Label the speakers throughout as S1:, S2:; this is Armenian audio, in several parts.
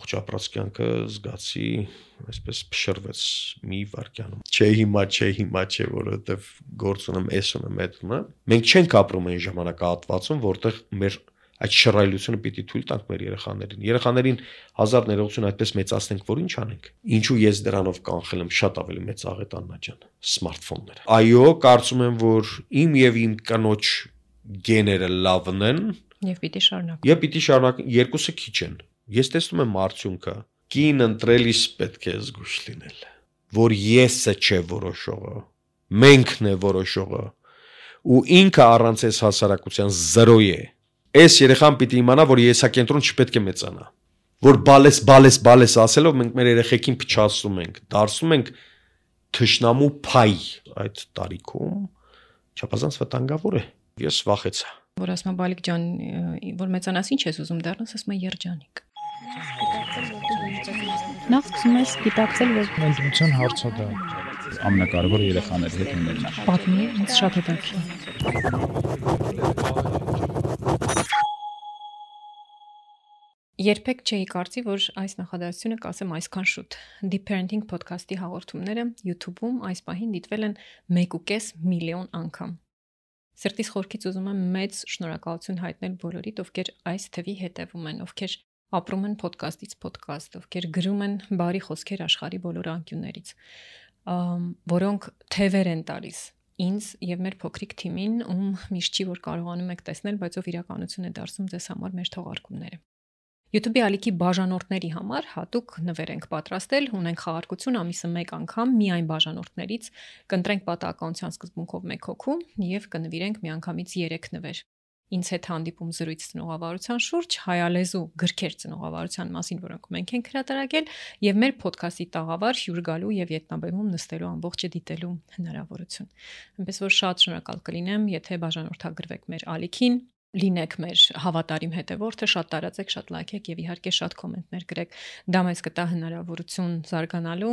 S1: Ճապրած կյանքը զգացի այսպես փշրվեց մի վարքյանում։ Չէ, որովհետև գործ ունեմ, էս ունեմ, այդ ունեմ։ Մենք չենք ապրում այն ժամանակահատվածում, որտեղ մեր այդ շռայլությունը պիտի թույլ տանք մեր երեխաներին։ Երեխաներին հազար ներողություն այդպես մեծացնենք, որ ինչ անենք։ Ինչու ես դրանով կանխել եմ շատ ավելի մեծ աղետաննա ջան, սմարթֆոնները։ Այո, կարծում եմ, որ իմ եւ իմ կնոջ գեները լավն են
S2: եւ պիտի շարունակեն։
S1: Երկուսը քիչ են։ Ես տեսնում եմ արդյունքը։ Կին ընտրելիս պետք է զգույշ լինել, որ եսը չէ որոշողը, մենքն է որոշողը, ու ինքը առանց այս հասարակության 0 է։ Այս երեխան պիտի իմանա, որ եսակենտրոն չպետք է մեծանա, որ բալես ասելով մենք մեր երեխեքին փչացնում ենք, դարձնում ենք թշնամու փայ այդ տարիքում, չափազանց վտանգավոր է։ Ես վախեցա։
S2: Որ ասում եմ Բալիկ ջան, որ մեծանաս ինչ ես ուզում դառնաս, ասում եմ երջանիկ։
S3: Նախ սկսում ես գիտակցել, որ
S4: ընտրության հարցը դա ամենակարևորը երեխաների հետ ունենալն է։
S2: Պատմի, ինձ շատ հետաքրքիր։ Երբեք չէի կարծի, որ այս նախադասությունը կասեմ այսքան շուտ։ Deep Parenting podcast-ի հաղորդումները YouTube-ում այս պահին դիտվել են 1.5 միլիոն անգամ։ Սրտիս խորքից ուզում եմ մեծ շնորհակալություն հայտնել բոլորիդ, ովքեր այս թվի հետևում են, ովքեր ապրում են podcast-ից podcast, ովքեր գրում են բարի խոսքեր աշխարհի բոլոր անկյուններից, որոնք թևեր են տալիս ինձ եւ մեր փոքրիկ թիմին, ում միշտ չի որ կարողանում եք տեսնել, բայց ով իրականություն է դարձում ձեզ համար մեր թողարկումները։ YouTube-ի ալիքի բաժանորդների համար հատուկ նվեր ենք պատրաստել, ունենք խաղարկություն ամիսը 1 անգամ միայն բաժանորդներից, կընտրենք պատահականության սկզբունքով 1 հոգու եւ կնվիրենք միանգամից 3 նվեր։ Ինձ հետ հանդիպում զրույց ծնողավարության շուրջ, հայալեզու գրքեր ծնողավարության մասին, որոնք մենք ենք հրատարակել, եւ մեր ոդքասթի տաղավար հյուր գալու եւ ետնաբեմում նստելու ամբողջը դիտելու հնարավորություն։ Այնպես որ շատ շնորհակալ կլինեմ, եթե բաժանորդագրվեք մեր ալիքին, լինեք մեր հավատարիմ հետևորդը, շատ տարածեք, շատ լայքեք եւ իհարկե շատ կոմենտներ գրեք։ Դա մեզ կտա հնարավորություն զարգանալու,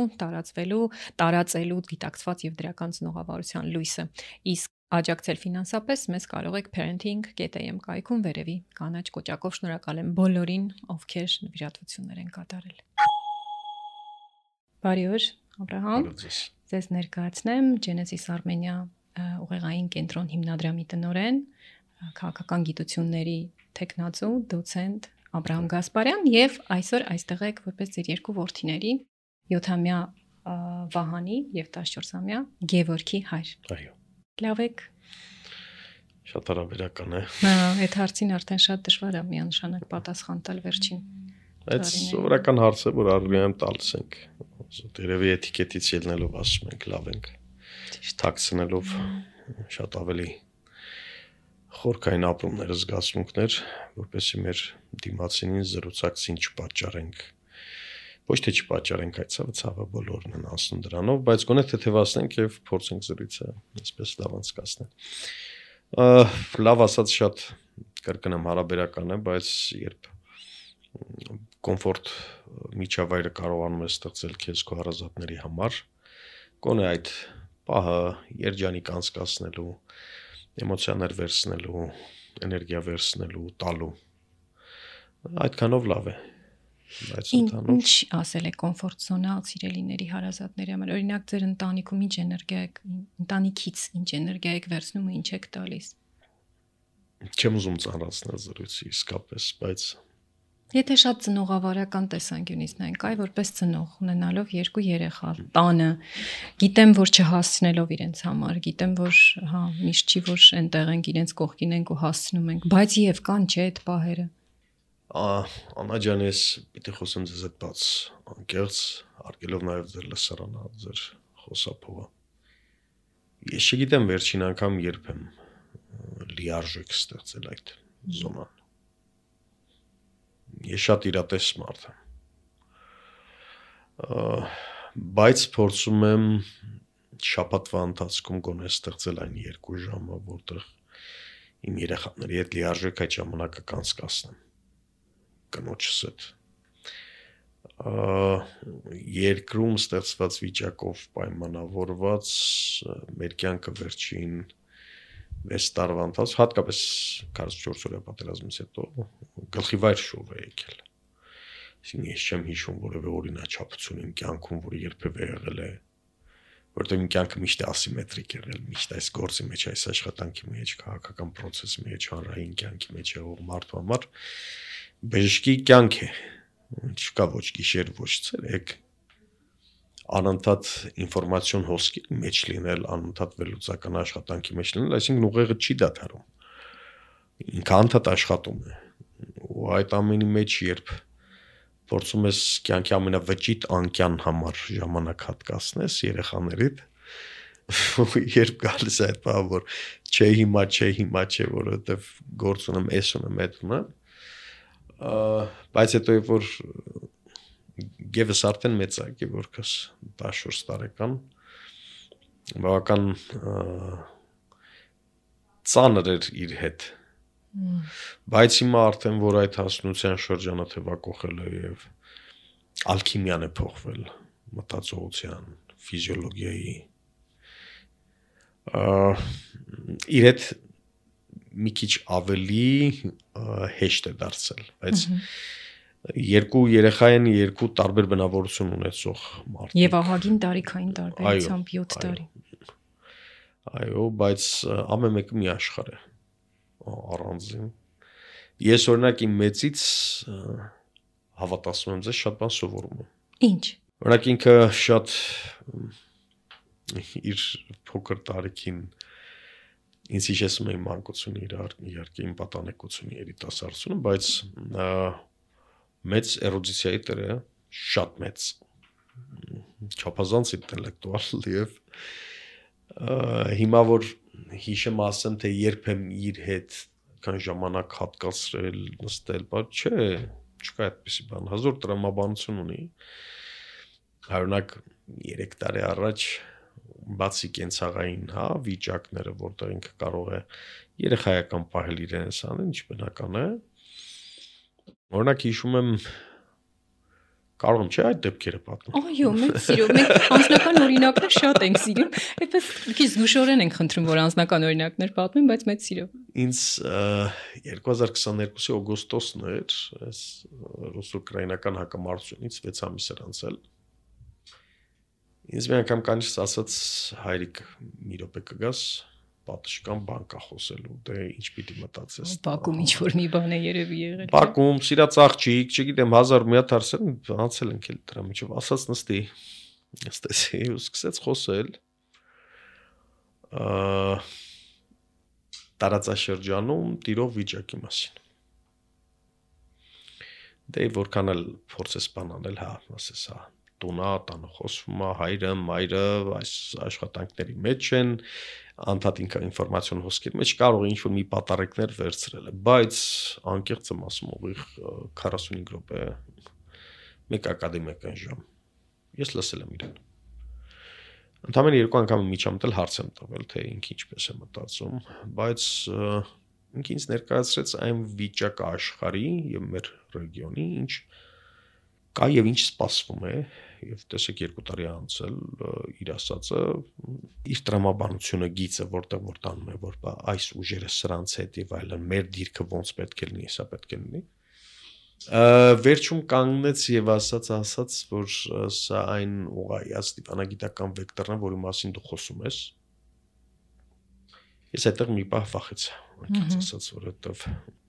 S2: տարածելու գիտակցված եւ դրական ծնողավարության լույսը։ Իսկ աջակցել ֆինանսապես մեզ կարող եք parenting.am կայքում վերևի կանաչ կոճակով շնորհակալ եմ բոլորին, ովքեր նվիրատվություններ են կատարել։ Բարի օր, Աբրահամ։ Ձեզ ներկայացնեմ Genesis Armenia ուղեղային կենտրոն հիմնադրամի տնօրեն, քաղաքական գիտությունների տեխնացու, դոցենտ Աբրահամ Գասպարյան եւ այսօր այստեղ եք որպես ձեր երկու որդիների 7-ամյա Վահանի եւ 14-ամյա Գևորգի հայր։
S1: Այո։
S2: Լավ եք։
S1: Շատ հարաբերական է։
S2: Այդ հարցին արդեն շատ դժվար է միանշանակ պատասխան տալ վերջին։
S1: Այդ սովորական հարց է, որ առնիամ տալիս ենք։ Երևի էտիկետից ելնելով ասում ենք լավ ենք։ Թաքցնելով շատ ավելի խորքային ապրումներ, զգացմունքներ, որպեսզի մեր դիմացինին զրուցակցին չպատճառենք։ Ոչ թե չպատճառենք, այդ ցավը բոլորն են անցնում դրանով, բայց գոնե թեթևացնենք եւ փորձենք զրույցը այսպես լավ անցկացնել։ Լավ ասած շատ կրկնեմ հարաբերական է, բայց երբ կոմֆորտ միջավայրը կարողանում է ստեղծել քեզ քո հարազատների համար, գոնե այդ պահը երջանիկ անցկացնելու, էմոցիաներ վերցնելու, էներգիա վերցնելու, տալու, այդքանով լավ է։
S2: Ինչ ասել է կոմֆորտ զոնալ սիրելիների հարազատների համար։ Օրինակ ձեր ընտանիքում ինչ էներգիա եք, ընտանիքից ինչ էներգիա եք վերցնում ու ինչ եք տալիս։
S1: Չեմ ուզում ծանրացնել զրույցը իսկապես, բայց
S2: եթե շատ ծնողավարական տեսանկյունից նայենք, այ որպես ծնող ունենալով 2 երեխա, տանը, գիտեմ, որ չհասցնելով իրենց համար, գիտեմ, որ միշտ չի որ այնտեղ ենք իրենց կողքին ենք ու հասցնում ենք, բայց եւ կան չէ այդ պահերը։
S1: Անա ջան, ես պիտի խոսեմ ձեզ հետ բաց անկեղծ, արգելով նաև ձեր լսարանը, ձեր խոսափողը։ Ես չգիտեմ վերջին անգամ երբ եմ լիարժեք ստեղծել այդ զոնան։ Ես շատ իրատես մարդ եմ։ Բայց փորձում եմ շաբաթվա ընթացքում գոնե ստեղծել այն 2 ժամը, որտեղ իմ երեխաների հետ լիարժեք այդ ժամանակը կանցկացնեմ։ Կնոջս հետ երկրում ստեղծված վիճակով պայմանավորված մեր կյանքը վերջին 6 տարվա ընթացքում հատկապես 44 օրյա պատերազմից հետո գլխի վայր շոու է եկել։ Այսինքն ես չեմ հիշում որևէ օրինաչափություն իմ կյանքում, որը երբևէ եղել է, որտեղ իմ կյանքը միշտ ասիմետրիկ եղել, միշտ այս գործի մեջ, այս աշխատանքի մեջ, քաղաքական process-ի մեջ, հանրային կյանքի մեջ եղող մարդու համար բժշկի կյանք է, չկա ոչ գիշեր, ոչ ցերեկ, անընդհատ ինֆորմացիոն հոսքի մեջ լինել, անընդհատ վերլուծական աշխատանքի մեջ լինել, այսինքն ուղեղը չի դադարում, ինքը անդադ աշխատում է, ու այդ ամենի մեջ երբ փորձում ես կյանքի ամենավճիտ անկյան համար ժամանակ հատկացնես երեխաներիդ, երբ գալիս է այդ բանը, որ չէ հիմա չէ, որովհետև գործ ունեմ, էս ունեմ, այդ ունեմ, բայց հետո երբ որ գևս արդեն մեծակի, որքս 14 տարեկան, բավական ծանր էր իր հետ, բայց հիմա արդեն որ այդ հասունության շրջանը թևակողել է եւ ալքիմիան է փոխվել մտածողության, ֆիզիոլոգիայի իր հետ մի քիչ ավելի հեշտ է դարձել, բայց երկու երեխա են, երկու տարբեր բնավորություն ունեցող մարդիկ։
S2: Եվ ահագին տարիքային տարբերությամբ 7 տարի։
S1: Այո, բայց ամեն մեկը մի աշխարհ է։ Առանձին։ Ես օրինակ իմ մեծից հավատացնում եմ, ձեզ շատ բան սովորում եմ։
S2: Ինչ։
S1: Օրինակ ինքը շատ իր փոքր տարիքին ինձ հիշեցնում է իմ մանկությունը, իհարկե իմ պատանեկությունը, երիտասարդությունը, բայց մեծ էրուդիցիայի տեր է, շատ մեծ, չափազանց ինտելեկտուալ եւ հիմա որ հիշեմ ասեմ, թե երբ եմ իր հետ կան ժամանակ հատկացրել, նստել, բայց չէ, չկա այդպիսի բան, հազար տրամաբանություն ունի, օրինակ 3 տարի առաջ բացի կենցաղային, վիճակները, որտեղ ինքը կարող է երեխայական պահել իրենս անել, ինչ բնական է, օրինակ հիշում եմ, կարող եմ չէ այդ դեպքերը պատմել։
S2: Այո, մեծ սիրով, մենք անձնական օրինակներ շատ ենք սիրում, այդպես քիչ զգուշորեն ենք խնդրում, որ անձնական օրինակներ պատմեն, բայց մեծ սիրով։
S1: Ինձ 2022-ի օգոստոսն էր, այս ռուս-ուկրաինական հակամարտությունից 6 ամիս էր անցել։ Ինձ մի անգամ կանից ասաց հայրիկ մի րոպե կգաս, պատշգամ բան կա խոսելու, դե ինչ պիտի մտածես։
S2: Բակում ինչ որ մի բան է երևի եղել։
S1: Բակում սիրած աղջիկ, չգիտեմ 1000 մի հատ հարցեր անցել ենք էլ դրա միջով, ասաց նստի։ Նստեցի ու սկսեց խոսել։ Տարածաշրջանում տիրող վիճակի մասին։ Դե որքան էլ փորձես բան անել, ասես, տունա, տանը խոսվում է, հայրը, մայրը, այս աշխատանքների մեջ են, անդադ ինֆորմացիոն հոսքերի մեջ կարող է ինչ-որ մի պատարեկներ վերցրել է, բայց անկեղծ եմ ասում, ուղիղ 45 րոպե, մեկ ակադեմիական ժամ, ես լսել եմ իրեն։ Ընդամենը 2 անգամ միջամտել հարց եմ տվել, թե ինքը ինչպես է մտածում, բայց ինքը ինձ ներկայացրեց այն վիճակը աշխարհի եւ մեր ռեգիոնի, ինչ կա եւ ինչ սպասվում է, եւ տեսեք 2 տարի անցել իր ասածը, իր տրամաբանությունը գիծը որտեղ որ տանում է, որ այս ուժերը սրանց հետ եւ այլն, մեր դիրքը ոնց պետք է լինի, սա պետք է լինի։ Վերջում կանգնեց եւ ասաց, որ սա այն ուղղայաց դիվանագիտական վեկտորն է, որի մասին դու խոսում ես։ Ես այդտեղ մի պահ վախեցա, անկեղծ ասած, որովհետեւ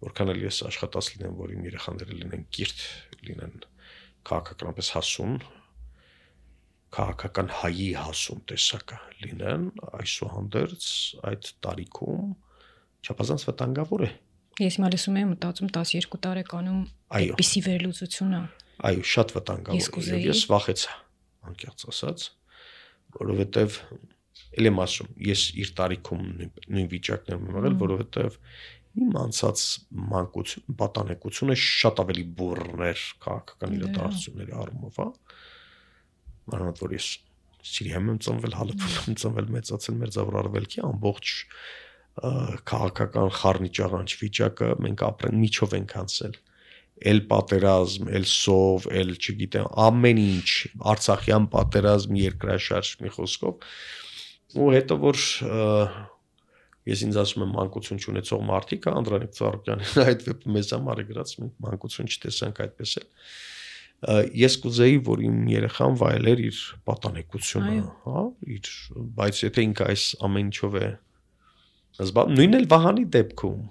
S1: որքան էլ ես աշխատած լինեմ, որ իմ երեխաները լինեն կիրթ, լինեն քաղաքականապես հասուն, քաղաքական հայի հասուն տեսակը լինեն, այսուհանդերձ այդ տարիքում չափազանց վտանգավոր է։
S2: Ես հիմա լսում եմ, մտածում 12 տարեկանում այդպիսի վերլուծությունը։
S1: Այո, շատ վտանգավոր է։ Ես վախեցա, անկեղծ ասած, որովհետև էլ եմ ասում, ես իր տարիքում նույն վիճակներում եմ եղել, որովհետև իմ անցած մանկություն, պատանեկությունը շատ ավելի բուռն էր քաղաքական իրադարձությունների առումով, մանավանդ որ ես Սիրիայում եմ ծնվել, Հալեփում եմ ծնվել, մեծացել Մերձավոր Արևելքի ամբողջ քաղաքական խառնիճաղանջ վիճակը մենք ապրեն միջով ենք անցել, էլ պատերազմ, էլ սով, էլ չգիտեմ, ամեն ինչ, Արցախյան պատերազմ, երկրաշարժ մի խոսքով, ու հետո որ ես ինձ ասում եմ մանկություն չունեցող մարդիկ, Անդրանիկ Ծառուկյանն այդ վեպը մեզ համար է գրած, մենք մանկություն չտեսանք այդպես էլ, Ես կուզեի, որ իմ երեխան վայելեր իր պատանեկությունը, հա, բայց եթե ինքը այս ամեն ինչով է նույնն էլ Վահանի դեպքում,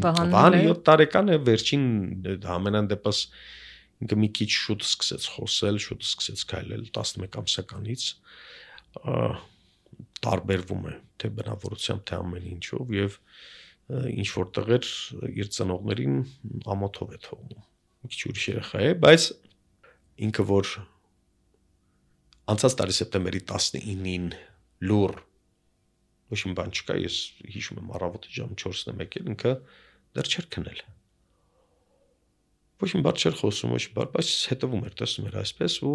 S1: Վահանը 7 տարեկան է, վերջին ամենայն դեպս ինքը մի քիչ շուտ սկսեց խոսել, շուտ սկսեց քայլել 11 ամսականից, տարբերվում է թե բնավորությամբ, թե ամեն ինչով եւ ինչ որ տեղեր իր ծնողներին ամոթով է թողնում։ Մի քիչ ուրիշ երեխա է, բայց ինքը որ անցած տարի սեպտեմբերի 19-ին լուր ոչ մի բան չկա, ես հիշում եմ առավոտի ժամը 4-ն եմ եկել, ինքը դեռ չէր քնել։ Ոչ մի բան չէր խոսում, ոչ մի բան, բայց հետևում էր, տեսնում էր այսպես ու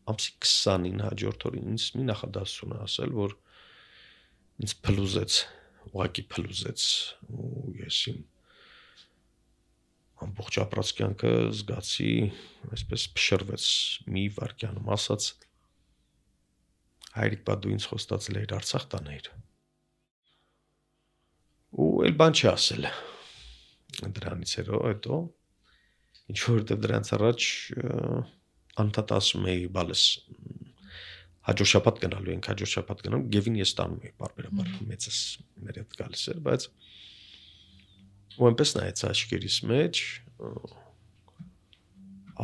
S1: ամսի 20-ին հաջորդ օրին ինձ մի նախադասություն ասել, որ ինձ փլուզեց, ուղղակի փլուզեց ու ես իմ ամբողջ ապրած կյանքը զգացի, այսպես փշրվեց մի վայրկյանում, ասաց հայրիկ բա դու ինձ խոստացել էիր Արցախ տանել։ Ու էլ բան չասել։ Դրանից հետո ինչ որտեղ դրանց առաջ անդադ ասում էի, բալես հաջորդ շաբաթ գնալու ենք, հաջորդ շաբաթ գնանք, Գևին ես տանում էի, բարբերաբար մեծս մեր հետ գալիս էր, բայց ու այնպես նայեց աչքերիս մեջ,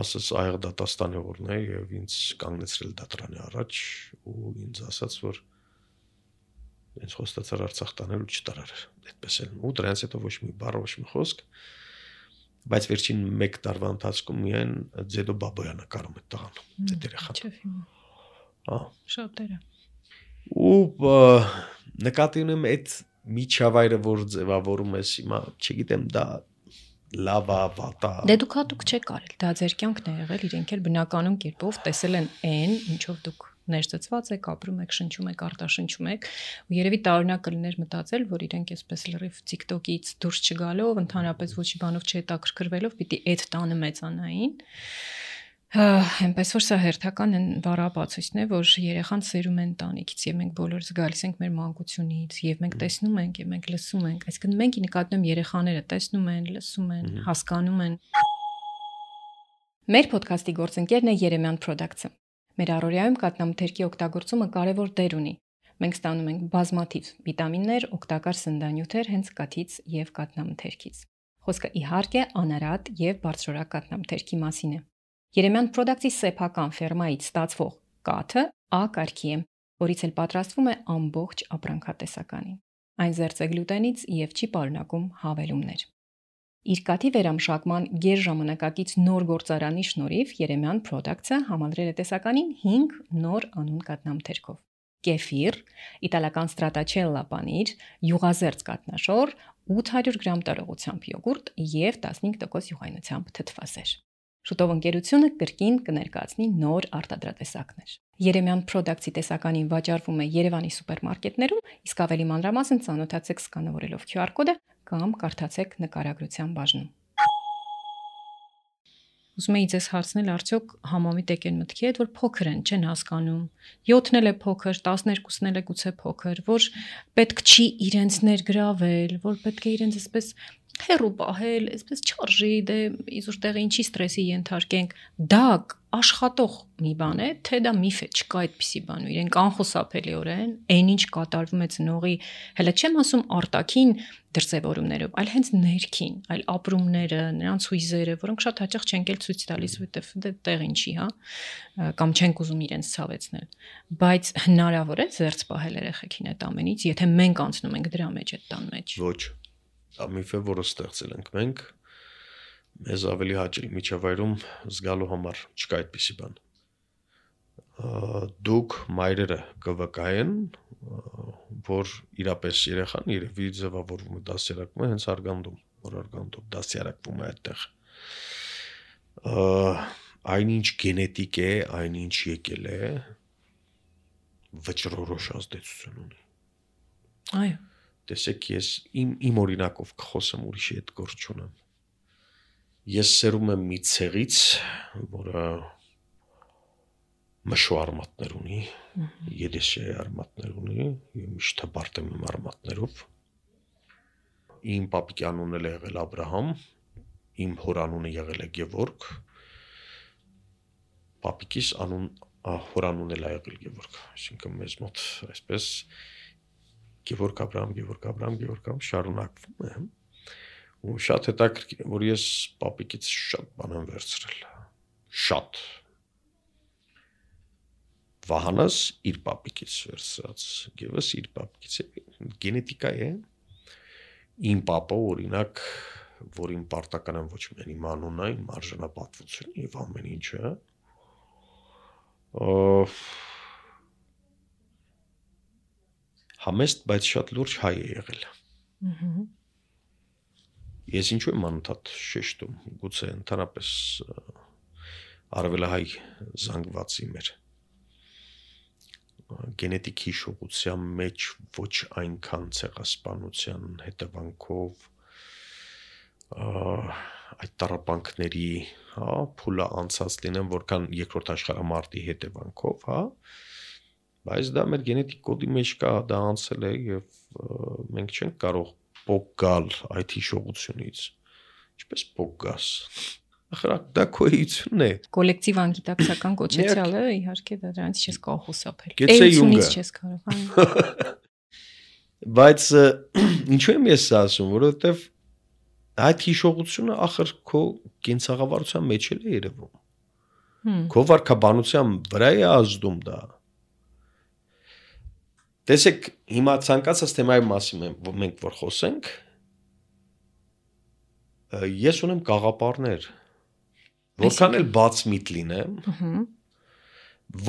S1: ասաց այեղ դատաստանի օրն է եւ ինձ կանգնեցրել դատարանի առաջ ու ինձ ասաց, որ ինձ խոստացար Արցախ տանել ու չտարար, այդպես էլ ու դրանից հետո ոչ մի բառ, ոչ մի խոսք, բայց վերջին 1 տարվա ընթացքում միայն Ձեդո Բաբոյանը կարում է տղան, այդ երեխան։
S2: Շատերը։
S1: Ու նկատի ունեմ այդ միջավայրը, որ ձևավորում ես հիմա, չգիտեմ, դա լավ է, վատ է։
S2: Դե դուք հատուկ չեք արել, դա ձեր կյանքն է եղել, իրենք էլ բնականon կերպով տեսել են այն, ինչով դուք ներծծված եք, ապրում եք, շնչում եք, արտաշնչում եք, ու երևի տարօրինակ կլիներ մտածել, որ իրենք այսպես լրիվ TikTok-ից դուրս չգալով, ընդհանրապես ոչ մի բանով չհետաքրքրվելով, պիտի այդ տանը մեծանային։ Այնպես որ սա հերթական բառապացույցն է, որ երեխան սերում են տանիքից եւ մենք բոլորս գալիս ենք մեր մանկությունից եւ մենք տեսնում ենք եւ մենք լսում ենք, այսինքն մենք նկատում երեխաները տեսնում են, լսում են, հասկանում են։ Մեր ոդքասթի գործընկերն է Երեմյան Products-ը։ Մեր առօրյայում կաթնամթերքի օգտագործումը կարևոր դեր ունի։ Մենք ստանում ենք բազմաթիվ վիտամիններ, օգտակար սննդանյութեր հենց կաթից եւ կաթնամթերքից։ Խոսքը իհարկե անարատ եւ բարձրորակ կաթնամթերքի մասին է։ Երեմյան Products-ի սեփական ֆերմայից ստացվող կաթը A կարգի է, որից էլ պատրաստվում է ամբողջ ապրանքատեսականին։ Այն զերծ է գլուտենից եւ չի պարունակում հավելումներ։ Իր կաթի վերամշակման գերժամանակակից նոր գործարանի շնորհիվ Երեմյան Products-ը համալրել է տեսականին 5 նոր անուն կաթնամթերքով։ Կեֆիր, իտալական ստրատաչելլա պանիր, յուղազերծ կաթնաշոր, 800 գրամ տարողությամբ յոգուրտ եւ 15% յուղայնությամբ թթվասեր։ Շուտով ընկերությունը կրկին կներկայացնի նոր արտադրատեսակներ։ Երեմյան Products-ի տեսականին վաճառվում է Երևանի սուպերմարկետներում, իսկ ավելի մանրամասն ծանոթացեք սկանավորելով QR կոդը կամ կարդացեք նկարագրության բաժնում։ Ուզում եի ձեզ հարցնել, արդյոք համամիտ եք են մտքի հետ, որ փոքր են, չեն հասկանում։ 7-ն էլ է փոքր, 12-ն էլ է գուցե փոքր, որ պետք չի իրենց ներգրավել, որ պետք է իրենց այսպես հերու պահել, այսպես չարժի, դե իզուր տեղը ինչի ստրեսի ենթարկենք, դա աշխատող մի բան է, թե դա միֆ է, չկա այդպիսի բան, ու իրենք անխուսափելիորեն այն ինչ կատարվում է ծնողի, հələ չեմ ասում արտաքին դրսևորումներով, այլ հենց ներքին, այլ ապրումները, նրանց հույզերը, որոնք շատ հաճախ չենք էլ ցույց տալիս, որտեվ դե տեղ ինչի, հա, կամ չենք ուզում իրենց ցավեցնել, բայց հնարավոր է զերծ պահել երեխեքին այդ ամենից, եթե մենք անցնում ենք դրա մեջ այդ տան մեջ։
S1: Ոչ, դա միֆ է, որը ստեղծել ենք մենք, մեզ ավելի հաճելի միջավայրում զգալու համար չկա այդպիսի բան։ Դուք մայրերը կվկայեն, որ իրապես երեխան երևի ձևավորվում է, դասյարակվում է հենց արգանդում, որ արգանդում դասյարակվում է այդտեղ։ Այնինչ գենետիկ է, այնինչ եկել է, վճռորոշ ազդեցություն ունի։
S2: Այո։
S1: Տեսեք, ես իմ օրինակով կխոսեմ, ուրիշի հետ գործ չունեմ։ Ես սերում եմ մի ցեղից, որը մշու արմատներ ունի, երեսի արմատներ ունի, եւ միշտ հպարտ եմ իմ արմատներով։ Իմ պապիկի անունն էլ եղել Աբրահամ, իմ հոր անունը եղել է Գևորգ, պապիկիս անուն հորանուն էլ ա եղել Գևորգ, այսինքն մեզ մոտ այսպես Գևորգ Աբրահամ շարունակվում է։ Ու շատ հետաքրքիր է, որ ես պապիկից շատ բան եմ վերցրել։ Շատ։ Վահանս իր պապիկից վերցրած, Գևս իր պապիկից է, գենետիկա է։ Իմ պապը օրինակ, որին պարտական եմ ոչ միայն իմ անունը, իմ արժանապատվությունը եւ ամեն ինչը, համեստ, բայց շատ լուրջ հայ է եղել։ Ես ինչու եմ անընդհատ շեշտում, գուցե ընդհանրապես արևելահայ զանգվածի մեր գենետիկ հիշողության մեջ ոչ այնքան ցեղասպանության հետևանքով այդ տառապանքների, փուլը անցած լինեն, որքան երկրորդ աշխարհամարտի հետևանքով, բայց դա մեր գենետիկ կոդի մեջ կա, դա անցել է եւ մենք չենք կարող փոք գալ այդ հիշողությունից, ինչպես փոք գաս, ախր դա քոյությունն է,
S2: կոլեկտիվ անգիտակցական կոչեցյալը, իհարկե դա դրանից չես կարող խուսափել,
S1: էությունից
S2: չես կարող,
S1: բայց ինչու եմ ես ասում, որովհետեւ այդ հիշողությունը ախր քո կենցաղավարության մեջ էլ է երևում, քո վարքաբանության վրա է ազդում դա։ Տեսեք, հիմա ցանկացած թեմայի մասին մենք որ խոսենք, ես ունեմ գաղափարներ, որքան էլ բաց միտ լինեմ,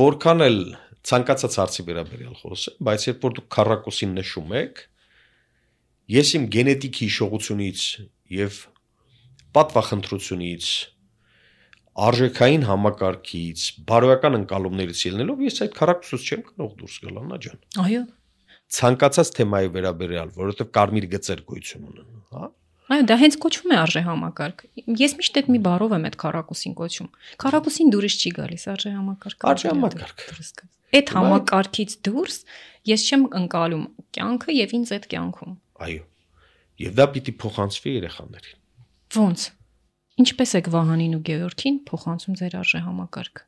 S1: որքան էլ ցանկացած հարցի վերաբերյալ խոսեմ, բայց երբ որ դուք քառակուսին նշում եք, ես իմ գենետիկ հիշողությունից եւ պատվախնդրությունից, արժեքային համակարգից, բարոյական ընկալումներից ելնելով, ես այդ քառակուսուց չեմ կարող դուրս գալ, Աննա ջան։
S2: Այո։
S1: Ցանկացած թեմայի վերաբերյալ, որովհետև կարմիր գծեր գոյություն ունեն, հա։
S2: Այո, դա հենց կոչվում է արժեհամակարգ։ Ես միշտ այդ մի բառով եմ այդ քառակուսին կոչում։ Քառակուսին դուրս չի գալիս արժեհամակարգ։
S1: Արժեհամակարգ։
S2: Այդ համակարգից դուրս ես չեմ ընկալում կյանքը եւ ինձ այդ կյանքում։
S1: Այո։ Եվ դա պիտի փոխանցվի երեխաներին։
S2: Ոնց։ Ինչպես եք Վահանին ու Գևորգին փոխանցում ձեր արժեհամակարգը։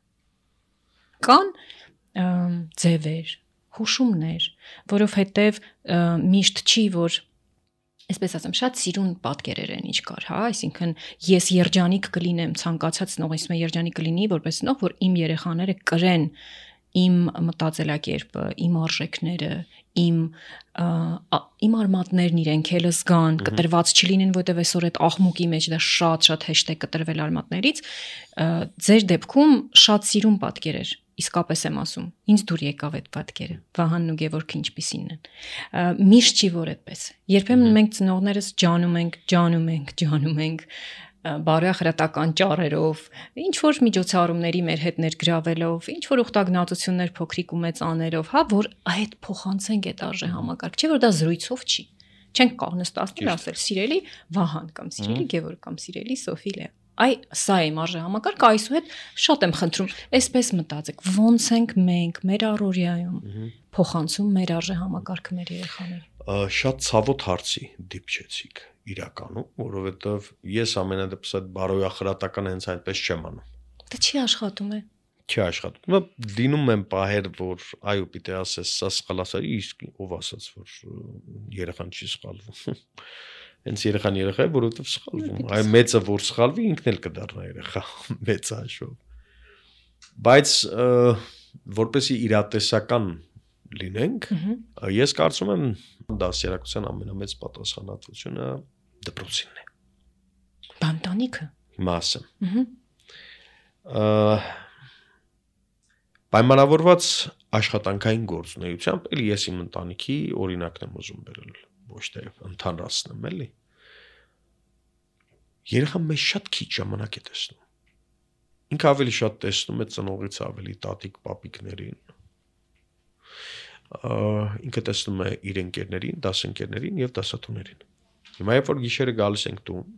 S2: Կան ձևեր, հուշումներ, որովհետև միշտ չի, որ այսպես ասեմ, շատ սիրուն պատկերեր են ինչ կար, հա, այսինքն ես երջանիկ կլինեմ, ցանկացած նողից մե երջանիկ կլինի, որպես նող, որ իմ երեխաները կրեն իմ մտածելակերպը, իմ արժեքները, իմ արմատներն իրենք էլ զգան, կտրված չլինեն, որտեվ այսօր այդ աղմուկի մեջ դա շատ հեշտ է կտրվել արմատներից, ձեր դեպքում շատ սիրուն պատկեր էր, իսկապես եմ ասում, ինձ դուր եկավ այդ պատկերը, Վահանն ու Գևորգը ինչպիսին են, միշտ չի որ այդպես, երբեմն մենք ծնողներս ջանում ենք, բարոյախրատական ճառերով, ինչ որ միջոցառումների մեր հետ ներգրավելով, ինչ որ ուխտագնացություններ փոքրիկ ու մեծ աներով, հա, որ այդ փոխանցենք այդ արժեհամակարգ, չէ որ դա զրույցով չի։ Չենք կարող նստածնել ասել սիրելի Վահան կամ սիրելի Գևորգ կամ սիրելի Սոֆիլե։ Այ սա է իմ արժեհամակարգը, այսուհետ շատ եմ խնդրում, այսպես մտածեք, ոնց ենք մենք մեր առօրյայում փոխանցում մեր արժեհամակարգը մեր երեխաներին։
S1: Շատ ցավոտ հարցի դիպչեցիք իրականում, որովհետև ես ամենադեպս այդ բարոյախրատական հենց այնպես չեմ անում։
S2: Դա չի աշխատում է։
S1: Չի աշխատում։ Լինում են պահեր, որ այո, պիտի ասես, սա սխալացա, իսկ ով ասաց, որ երեխան չի սխալվում։ Հենց երեխան երեխա է, որովհետև սխալվում։ Այ մեծը որ սխալվի, ինքն էլ կդառնա երեխա, մեծ հաշվով։ Բայց որպեսզի իրատեսական լինենք, ես կարծում եմ դասերակցության ամենամեծ պատասխանատվությունը դպրոցինն է։
S2: Բանտանիքը։
S1: Հիմա ասեմ։ Պայմանավորված աշխատանքային գործունեությամբ, էլի ես իմ ընտանիքի օրինակն եմ ուզում բերել, ոչ թե ընդհանրացնեմ, էլի։ Երեխան մեզ շատ քիչ ժամանակ է տեսնում։ Ինքը ավելի շատ տեսնում է ծնողից ավելի տատիկ պապիկներին։ Ինքը տեսնում է իր ընկերներին, դասընկերներին եւ դասատուներին։ Հիմա երբ որ գիշերը գալիս ենք տուն,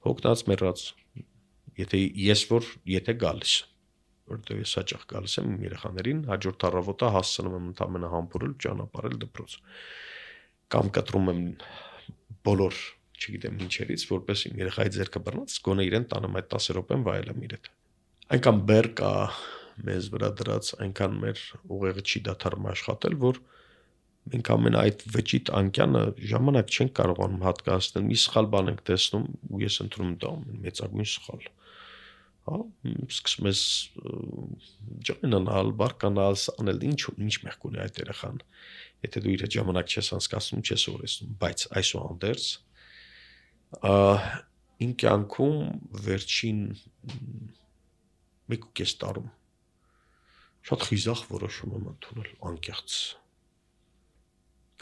S1: հոգնած մեռած, եթե գալիս, որտեղ ես հաճախ գալիս եմ իմ երեխաներին, հաջորդ առավոտը հասցնում եմ ընդամենը համբուրել, ճանապարհել դպրոց։ Կամ կտրում եմ բոլոր, չգիտեմ ինչերից, որպես իմ երեխայի ձեռքը բռնած, գոնե իրեն տանեմ այդ 10 րոպեն վայելեմ իր հետ։ այնքան բեր կա մեզ վրա դրած, այնքան մեր ուղեղը չի դադարում աշխատել, որ մենք ամեն այդ վճիտ անկյանը ժամանակ չենք կարողանում հատկացնել, մի սխալ բան ենք տեսնում ու ես ընտրում դա մեծագույն սխալ։ Հա, սկսում ես ջանանալ, բարկանալ, անել ինչ մեղք ունի այդ երեխան։ Եթե դու իր հետ ժամանակ չես անցկացնում, չես օրեցնում, բայց այսուհանդերձ իմ կյանքում վերջին 1.5 տարում շատ խիզախ որոշում եմ ընդունել անկեղծ։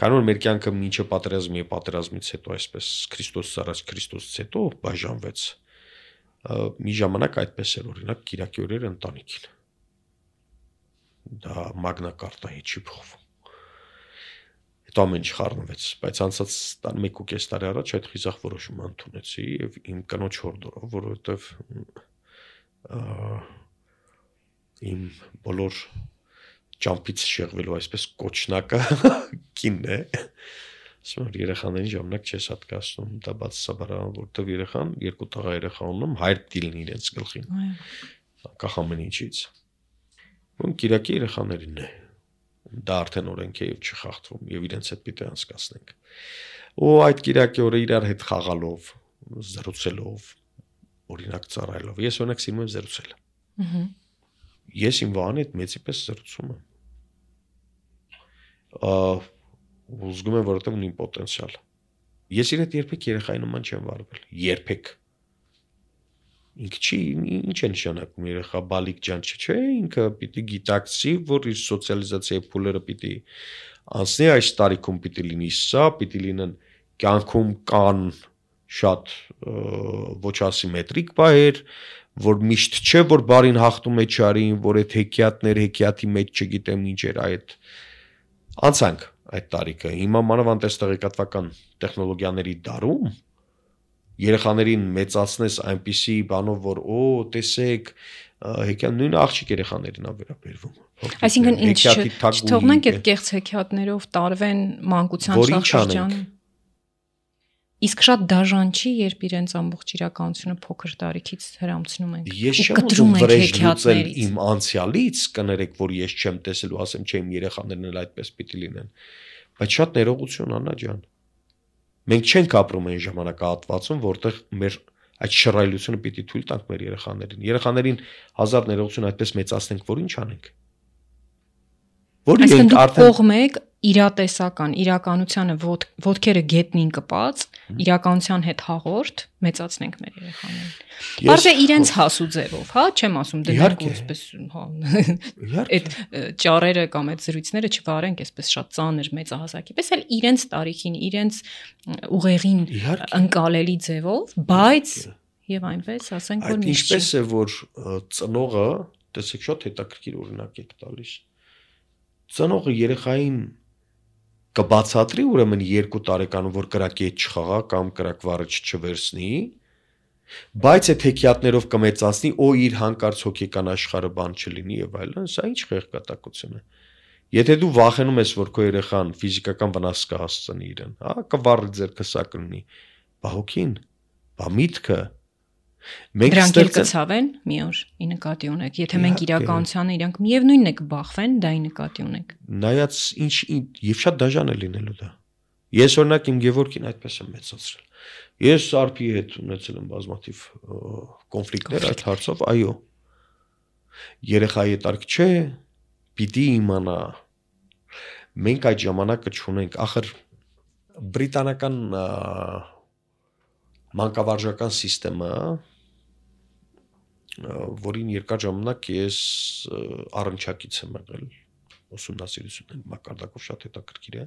S1: Քանի որ մեր կյանքը մինչև պատերազմի եւ պատերազմից հետո այսպես Քրիստոսից առաջ Քրիստոսից հետո բաժանվեց, մի ժամանակ այդպես էր օրինակ Կիրակի օրերը ընտանիքին։ Դա մագնա կարտայի չի փոխվում։ Հետո ամեն ինչ խառնվեց, բայց անցած 1.5 տարի առաջ այդ խիզախ որոշումը ընդունեցի եւ իմ կնոջ հորդորով, որովհետեւ իմ բոլոր ճամփից շեղվելու այսպես կոչնակը կինն է։ Ասում եմ երեխաներին ժամանակ չես հատկացնում, դա բացասաբար որովհետեւ երեխան 2 տղա երեխա ունեմ, հայր դիլն իրենց գլխին։ Անկախ ամեն ինչից։ Ոնց Կիրակի երեխաներին է։ Դա արդեն օրենք է եւ չխախտվում եւ իրենց հետ պիտի անցկացնենք։ Ու այդ Կիրակի օրը իրար հետ խաղալով, զրուցելով, օրինակ ծառայելով։ Ես օրինակ սիրում եմ զրուցել։ Ես իմ վահանի հետ մեծի պես զրուցում եմ։ Ուզում եմ որովհետեւ ունի պոտենցիալ։ Ես իր հետ երբեք երեխայի նման չեմ վարվել։ Երբեք։ Ինքը չի, ինչ է նշանակում երեխա բալիկ ջան չէ, ինքը պիտի գիտակցի, որ իր սոցիալիզացիայի փուլերը պիտի անցնի, այս տարիքում պիտի լինի սա, պիտի լինեն կյանքում կան շատ ոչ ասիմետրիկ բաներ, որ միշտ չէ, որ բարին հաղթում է չարին, որ այդ հեքիաթի մեջ չգիտեմ ինչ էր այդ անցանք այդ տարիքը։ Հիմա մանավանդ այս տեղեկատվական տեխնոլոգիաների դարում երեխաներին մեծացնես այնպիսի բանով, որ տեսեք, հեքիաթ նույն աղջիկ երեխաներին ա վերաբերվում։
S2: Այսինքն ինչ չթողնենք այդ կեղծ հեքիաթներով տարվեն մանկության շրջանում։ Իսկ շատ դաժան չի, երբ իրենց ամբողջ իրականությունը փոքր տարիքից հրամցնում ենք։
S1: Ես չեմ ուզում վրեժ լուծել իմ անցյալից, կներեք, որ ես չեմ տեսել ու ասեմ, չէ, իմ երեխաներն էլ այդպես պիտի լինեն։ Բայց շատ ներողություն, Աննա ջան։ Մենք չենք ապրում այն ժամանակահատվածում, որտեղ մեր այդ շռայլությունը պիտի թույլ տանք մեր երեխաներին։ Երեխաներին հազար ներողություն այդպես մեծացնենք, որ ինչ անենք։
S2: Այսինքն դուք կողմ եք իրատեսական, իրականությանը ոտքերը գետնին կպած, իրականության հետ հաղորդ մեծացնենք մեր երեխաներին։ Բարձր իրենց հասու ձևով, հա, չեմ ասում դրանք այսպես, հա, այդ ճառերը կամ այդ զրույցները չվարենք այսպես շատ ծանր մեծահասակի, պես էլ իրենց տարիքին, իրենց ուղեղին ընկալելի ձևով, բայց եւ այնպես ասենք, որ միշտ
S1: ինչպես է որ ծնողը, տեսեք շատ հետաքրքիր օրինակ եք տալիս։ Ծնողը երեխային կբացատրի ուրեմն 2 տարեկանում, որ կրակի հետ չխաղա կամ կրակվառը չվերցնի, բայց այդ հեքիաթներով կմեծացնի, իր հանկարծ հոգեկան աշխարհը բան չլինի եւ այլն, սա ինչ խեղկատակություն է։ Եթե դու վախենում ես, որ քո երեխան ֆիզիկական վնաս կհասցնի իրեն, հա, կվառի ձեռքը սա կլինի, բա հոգին, բա միտքը
S2: Դրանք էլ կցավեն մի օր ի նկատի ունեք, եթե մենք իրականությանը իրանք միևնույնն է կբախվեն, դա ի նկատի ունեք։
S1: Նայած ինչ եւ շատ դաժան է լինելու դա։ Ես օրինակ իմ Գևորգին այդպես եմ մեծացրել։ Ես Արփի հետ ունեցել եմ բազմաթիվ կոնֆլիկտներ այդ հարցով, այո։ Երեխայի տարք չէ, պիտի իմանա։ Մենք այդ ժամանակը չունենք, ախր բրիտանական մանկավարժական համակարգը, որին երկար ժամանակ ես առնչակից եմ եղել, ուսումնասիրությունների մակարդակով շատ հետաքրքիր է։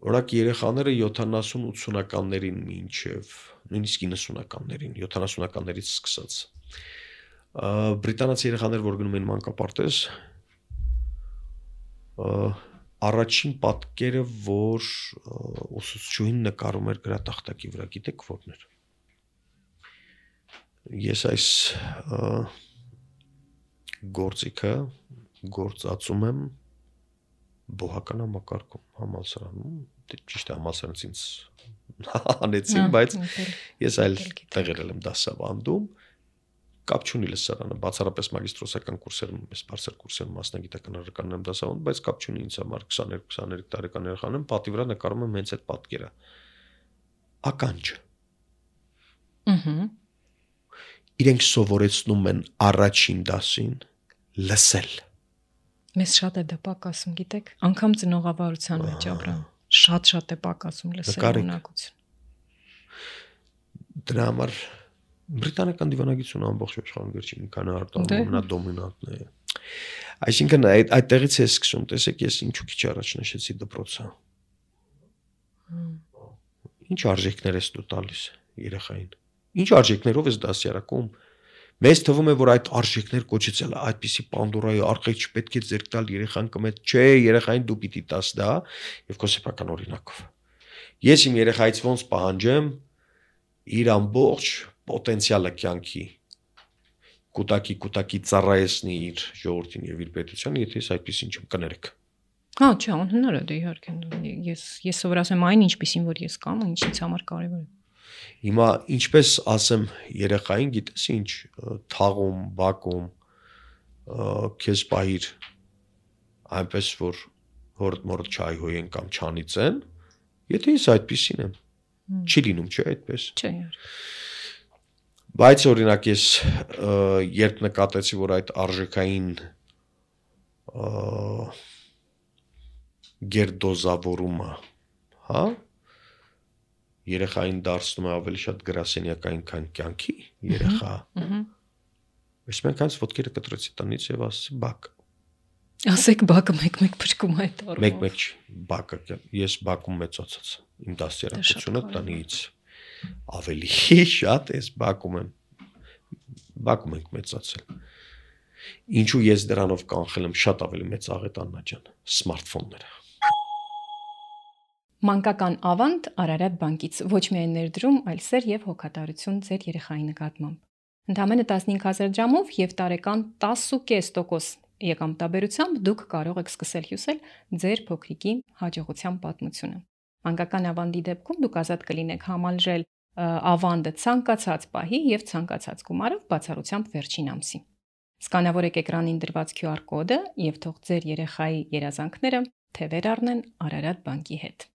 S1: Օրինակ երեխաները 70-80-ականներին մինչև նույնիսկ 90-ականներին, 70-ականներից սկսած բրիտանացի երեխաներ, որ գնում են մանկապարտեզ, առաջին պատկերը, որ ուսուցչուհին նկարում էր գրատախտակի վրա, գիտեք որն էր։ Ես այս գործիքը գործածում եմ բոհական համակարգում, համալսարանում, ճիշտ է համալսարանից ինձ անեցին, բայց ես այլ տեղեր եմ դասավանդում, կապ չունի լսարանը, բացառապես մագիստրոսական կուրսերում, ես բարձր կուրսերում մասնագիտական առարկանն եմ դասավանդում, բայց կապ չունի ինձ համար 22-23 տարեկան երեխան եմ, պատի վրա նկարում եմ հենց այդ պատկերը։ Ականջ։ Իրենք սովորեցնում են առաջին դասին լսել։
S2: Մեզ շատ է դա պակասում, գիտեք, անգամ ծնողավարության մեջ ապրան, շատ է պակասում լսել ունակություն։
S1: Դրա համար բրիտանական դիվանագիտությունը ամբողջ աշխարհում վերջին մի քանի տարում ամենադոմինանտն է։ Այսինքն այդտեղից է սկսում, տեսեք, ես ինչու քիչ առաջ նշեցի դպրոցը։ Ինչ արժեքներ ես դու տալիս երեխային։ Ինչ արժեքներով ես դասյարակում։ Մեզ թվում է, որ այդ արժեքներ կոչեցել այդպիսի Պանդորայի արխիվ չպետք է ձեռք տալ երեխան կմետ, չէ, երեխային դու պիտի տաս դա եւ քո սեփական օրինակով։ Ես իմ երեխայից ոնց պահանջեմ իր ամբողջ պոտենցիալը կյանքի կուտակի ծառայեցնի իր ժողովրդին եւ իր պետությանը, եթե ես այդպես ինչ կներեք։
S2: Հա, չէ, անհնար է դա իհարկե։ Ես սովորացեմ այն ինչպեսին որ ես կամ, ինչ ինձ համար կարևոր է։
S1: Հիմա ինչպես ասեմ երեխային, գիտես ինչ, թաղում, բակում քեզ պահիր այնպես որ հորդ չայհոյեն կամ չանիծեն, եթե ես այդպեսին եմ։ Չի լինում, չէ, այդպես։
S2: Չէ։
S1: Բայց օրինակ ես երբ նկատեցի, որ այդ արժեքային գերդոզավորումը, հա, երեխային դարձնում է ավելի շատ գրասենյակային, քան կյանքի երեխա։ Ես մենք այնց ոտքերը կտրեցի տնից եւ ասեցի բակ։
S2: Ասեք բակը մեկ-մեկ փրկում է այդ առումով։
S1: Մեկ-մեկ բակը, ես բակում մեծացած իմ դասերակցությունը տնից ավելի շատ ես բակում ենք մեծացել։ Ինչու ես դրանով կանխել եմ շատ ավելի մեծ աղետ Աննա ջան, սմարթֆոնները։
S2: Մանկական ավանդ Արարատ բանկից ոչ միայն ներդրում, այլ սեր եւ հոգատարություն ձեր երեխայի նկատմամբ։ Ընդամենը 15000 դրամով եւ տարեկան 10.5% եկամտաբերությամբ դուք կարող եք սկսել հյուսել ձեր փոքրիկի հաջողության պատմությունը։ Մանկական ավանդի դեպքում դուք ազատ կլինեք համալրել ավանդը ցանկացած պահի եւ ցանկացած գումարով բացառությամբ վերջին ամսի։ Սկանավորեք էկրանին դրված QR կոդը եւ թող ձեր երեխայի երազանքները թևեր առնեն Արարատ բանկի հետ։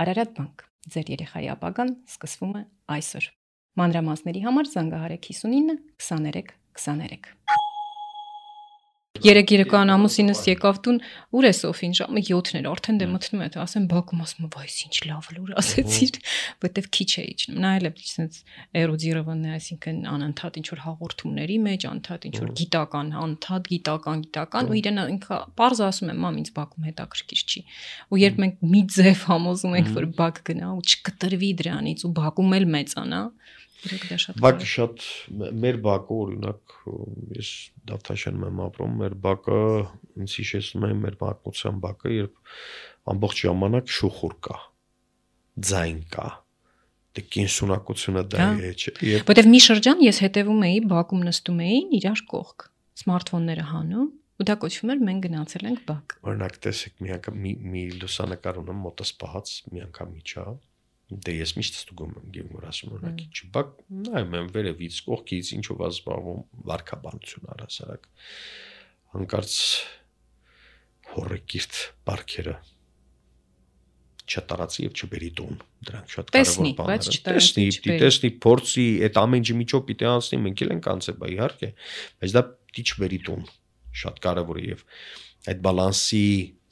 S2: Արարատ բանկ, ձեր երեխայի ապագան սկսվում է այսօր։ Մանրամասների համար զանգահարեք 59 23 23։ Երեք երեկոյան ամուսինս եկավ տուն, ուր է Սոֆին, ժամը 7-ն էր, արդեն դե մտնում է, ասեմ բակում, ասում վայ, ինչ լավ լուր ասեցիր, որտեվ քիչ է իջնում։ Նա էլ է այսպես էրոդիրованный, այսինքն անընդհատ ինչ որ հաղորդումների մեջ, անընդհատ ինչ որ գիտական, ու իրեն ինքը պարզ ասում է, մամ, ինձ բակում հետաքրքիր չի։ Ու երբ մենք մի ձև համոզում ենք, որ բակ գնա ու չկտրվի դրանից ու բակում էլ մեծանա,
S1: բակը շատ մեր բակը օրինակ ես Դավթաշենում եմ ապրում, մեր բակը ինձ հիշեցնում է մեր պատմության բակը, երբ ամբողջ ժամանակ շուխուր կա, ձայն կա, դե կենսունակությունը դա է, չէ։
S2: Որտեվ մի շրջան ես հետևում էի, բակում նստում էին իրար կողք, սմարթֆոնները հանում, ու դա կոչվում էր մենք գնացել ենք բակ։
S1: Օրինակ տեսեք, մի անգամ մի լուսանկար ունեմ մոտս պահած, մի անգամ իջա Դե ես միշտ ստուգում եմ գեւմոր ասում օրինակի չբակ նայում եմ վերևից կողքից ինչով ազբաղվում վարքաբանություն առասարակ հանկարծ հորեկիրթ բարքերը չտարածի եւ չբերի տուն դրանք շատ կարեւոր բաներ են տեսնի փորձի այդ ամեն ինչի միջով պիտի անցնի մենք էլ ենք անցել բա իհարկե բայց դա պիտի չբերի տուն շատ կարեւոր է եւ այդ բալանսի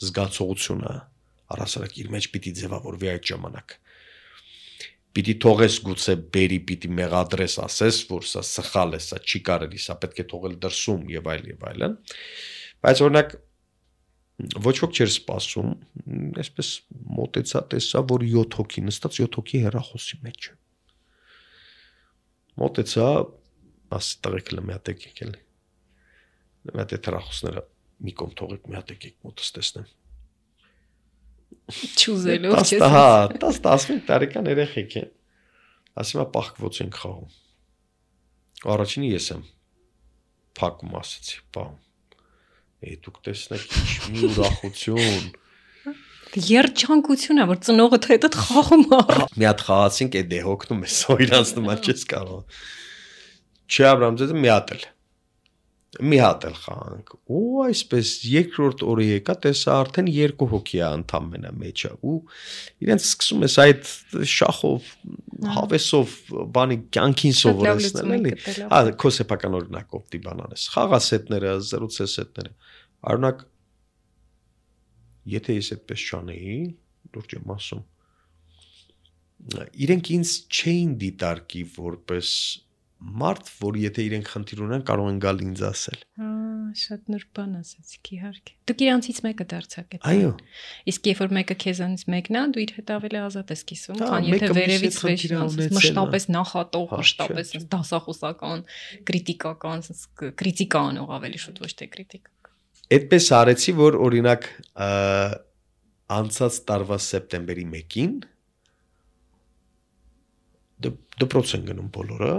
S1: զգացողությունը առասարակ իր մեջ պիտի ձևավորվի այդ ժամանակ Պիտի թողես գուցե բերի, պիտի մեղադրես ասես, որ սա սխալ է, սա չի կարելի, սա պետք է թողել դրսում եւ այլն։ Բայց օրինակ ոչ ոք չէր սպասում, այսպես մոտեցա, տեսա, որ 7 հոգի նստած 7 հոգի հեռախոսի մեջ։ Մոտեցա, ասի տղեկ լը մի հատ եկեք էլի։ Մի հատ հեռախոսները մի կողմ թողեք, մի հատ եկեք մոտս տեսնեմ։
S2: Չուզելով
S1: չես։ Հա, 10-15 տարեկան երեխեք են։ Ասում եմ պահկվոց ենք խաղում։ Առաջինը ես եմ փակում ասեցի, բա։ Դուք տեսնեք ինչ մի ուրախություն։
S2: Երջանկություն է, որ ծնողը հետդ խաղում է։
S1: Մի հատ խաղացինք, դե հոգնում է, սոյրանցնում է, չես կարող։ Չէ Աբրահամ ձեզ մի հատ էլ խաղանք ու այսպես երկրորդ օրը եկա տեսա արդեն 2 հոգի է ընդամենը մեջը ու իրենց սկսում ես այդ շախով հավեսով բանի կյանքին սովորեցնել էլի քո սեփական օրինակով դիբանանես խաղասետները զրուցեսետները արունակ եթե ես այդպես չանեի լուրջ եմ ասում իրենք ինձ չէին դիտարկի որպես մարդ, որ եթե իրենք խնդիր ունեն, կարող են գալ ինձ ասել։
S2: Շատ նուրբ բան ասացիք, իհարկե։ Դուք իրանցից մեկը դարձաք այդ։
S1: Այո։
S2: Իսկ երբ որ մեկը քեզանից մեկն է, դու իր հետ ավելի ազատ ես կիսում, քան եթե վերևից մշտապես նախատող, մշտապես դասախոսական, քրիտիկական, քրիտիկա անող ավելի շուտ ոչ թե քրիտիկա։
S1: Այդպես արեցի, որ օրինակ անցած տարվա սեպտեմբերի 1-ին դպրոց են գնում բոլորը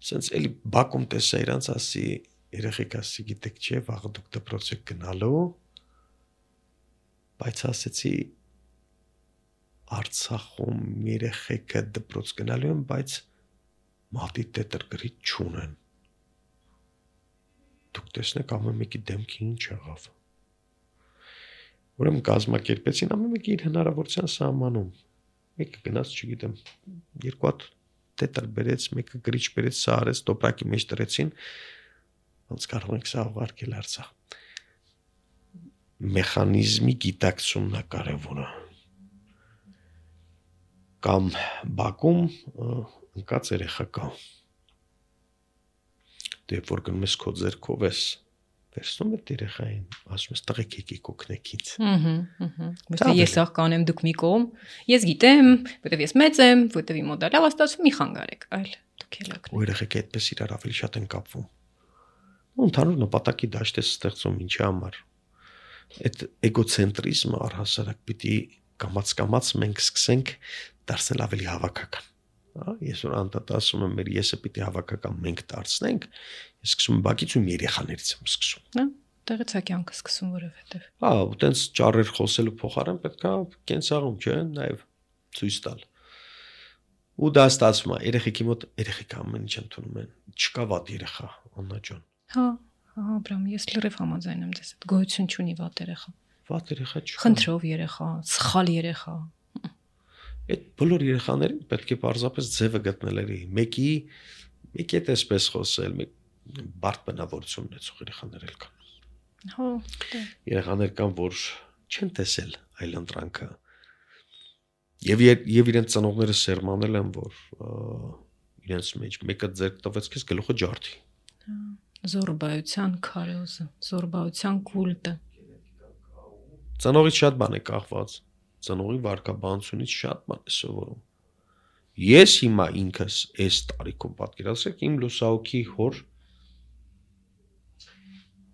S1: Սենց էլի բակում տեսա իրանց ասի երեխեք ասի գիտեք չէ վաղը դուք դպրոց եք գնալու բայց ասեցի Արցախում երեխեքը դպրոց գնալու են բայց մատի տետր գրիչ չունեն դուք տեսնեք ամեն մեկի դեմքի ինչ եղավ ուրեմն կազմակերպեցին ամեն մեկի իր հնարավորության սահմանում մեկը գնաց չգիտեմ 2 հատ տետր բերեց, մեկը գրիչ բերեց, սա արեց, տոպրակի մեջ տրեցին, ոնց կարող ենք սա ուղարկել Արցախ։ Մեխանիզմի գիտակցումն է կարևորը։ Կամ բակում ընկած երեխա կա։ Դե որ գնում ես քո ձեռքով ես, վերցնում ես երեխային, ասում ես տղեկ եկեք օգնեք ինձ։
S2: Ոչ ես ախ կանեմ դուք մի կողմ, ես գիտեմ, որտեվ ես մեծ եմ, որտեվ իմ մոդալը աստացում մի խանգարեք, այլ դուք էլ օգնեք։
S1: Ու երեխեք այդպես իրար ավելի շատ են կապվում։ Ու ընդհանուր նպատակի դաշտ է ստեղծում ինչի համար։ Այդ էգոցենտրիզմը առհասարակ պիտի կամաց մենք սկսենք դարձնել ավելի հավաքական։ Ես որ անդադ ասում եմ մեր եսը պիտի հավաքական մենք դարձնենք, ես սկսում եմ բակից ու երեխաներից եմ սկսում։
S2: Տեղից է կյանքը սկսում որովհետև։
S1: ու տենց ճառեր խոսելու փոխարեն պետք է կենցաղում, չէ, նաև ցույց տալ։ Ու դա ստացվում է երեխեքի մոտ երեխեքը ամեն ինչ ընդունում են։ Չկա վատ երեխա, Աննա ջան։
S2: Աբրամ, ես լրիվ համաձայն եմ դες հետ։ Գոյություն չունի վատ երեխա։
S1: Վատ երեխա չկա։
S2: Խնդրով երեխա, սխալ երեխա։
S1: Այդ բոլոր երեխաներին պետք է պարզապես ձևը գտնել էլի։ Մեկի հետ էսպես խոսել, բարդ բնավորություն ունեցող երեխաներ էլ կան։ Երեխաներ կան, որ չեն տեսել այլընտրանքը։ Եվ իրենց ծնողները սերմանել են, որ իրենց մեջ մեկը ձեռք տվեց քեզ գլուխը ջարդի։
S2: Զորբայության քարոզը, զորբայության կուլտը։
S1: Ծնողից շատ բան է կախված։ Ծնողի վարկաբանությունից շատ բան է սովորում։ Ես հիմա ինքս այս տարիքում պատկերացրեք իմ լուսահոգի հոր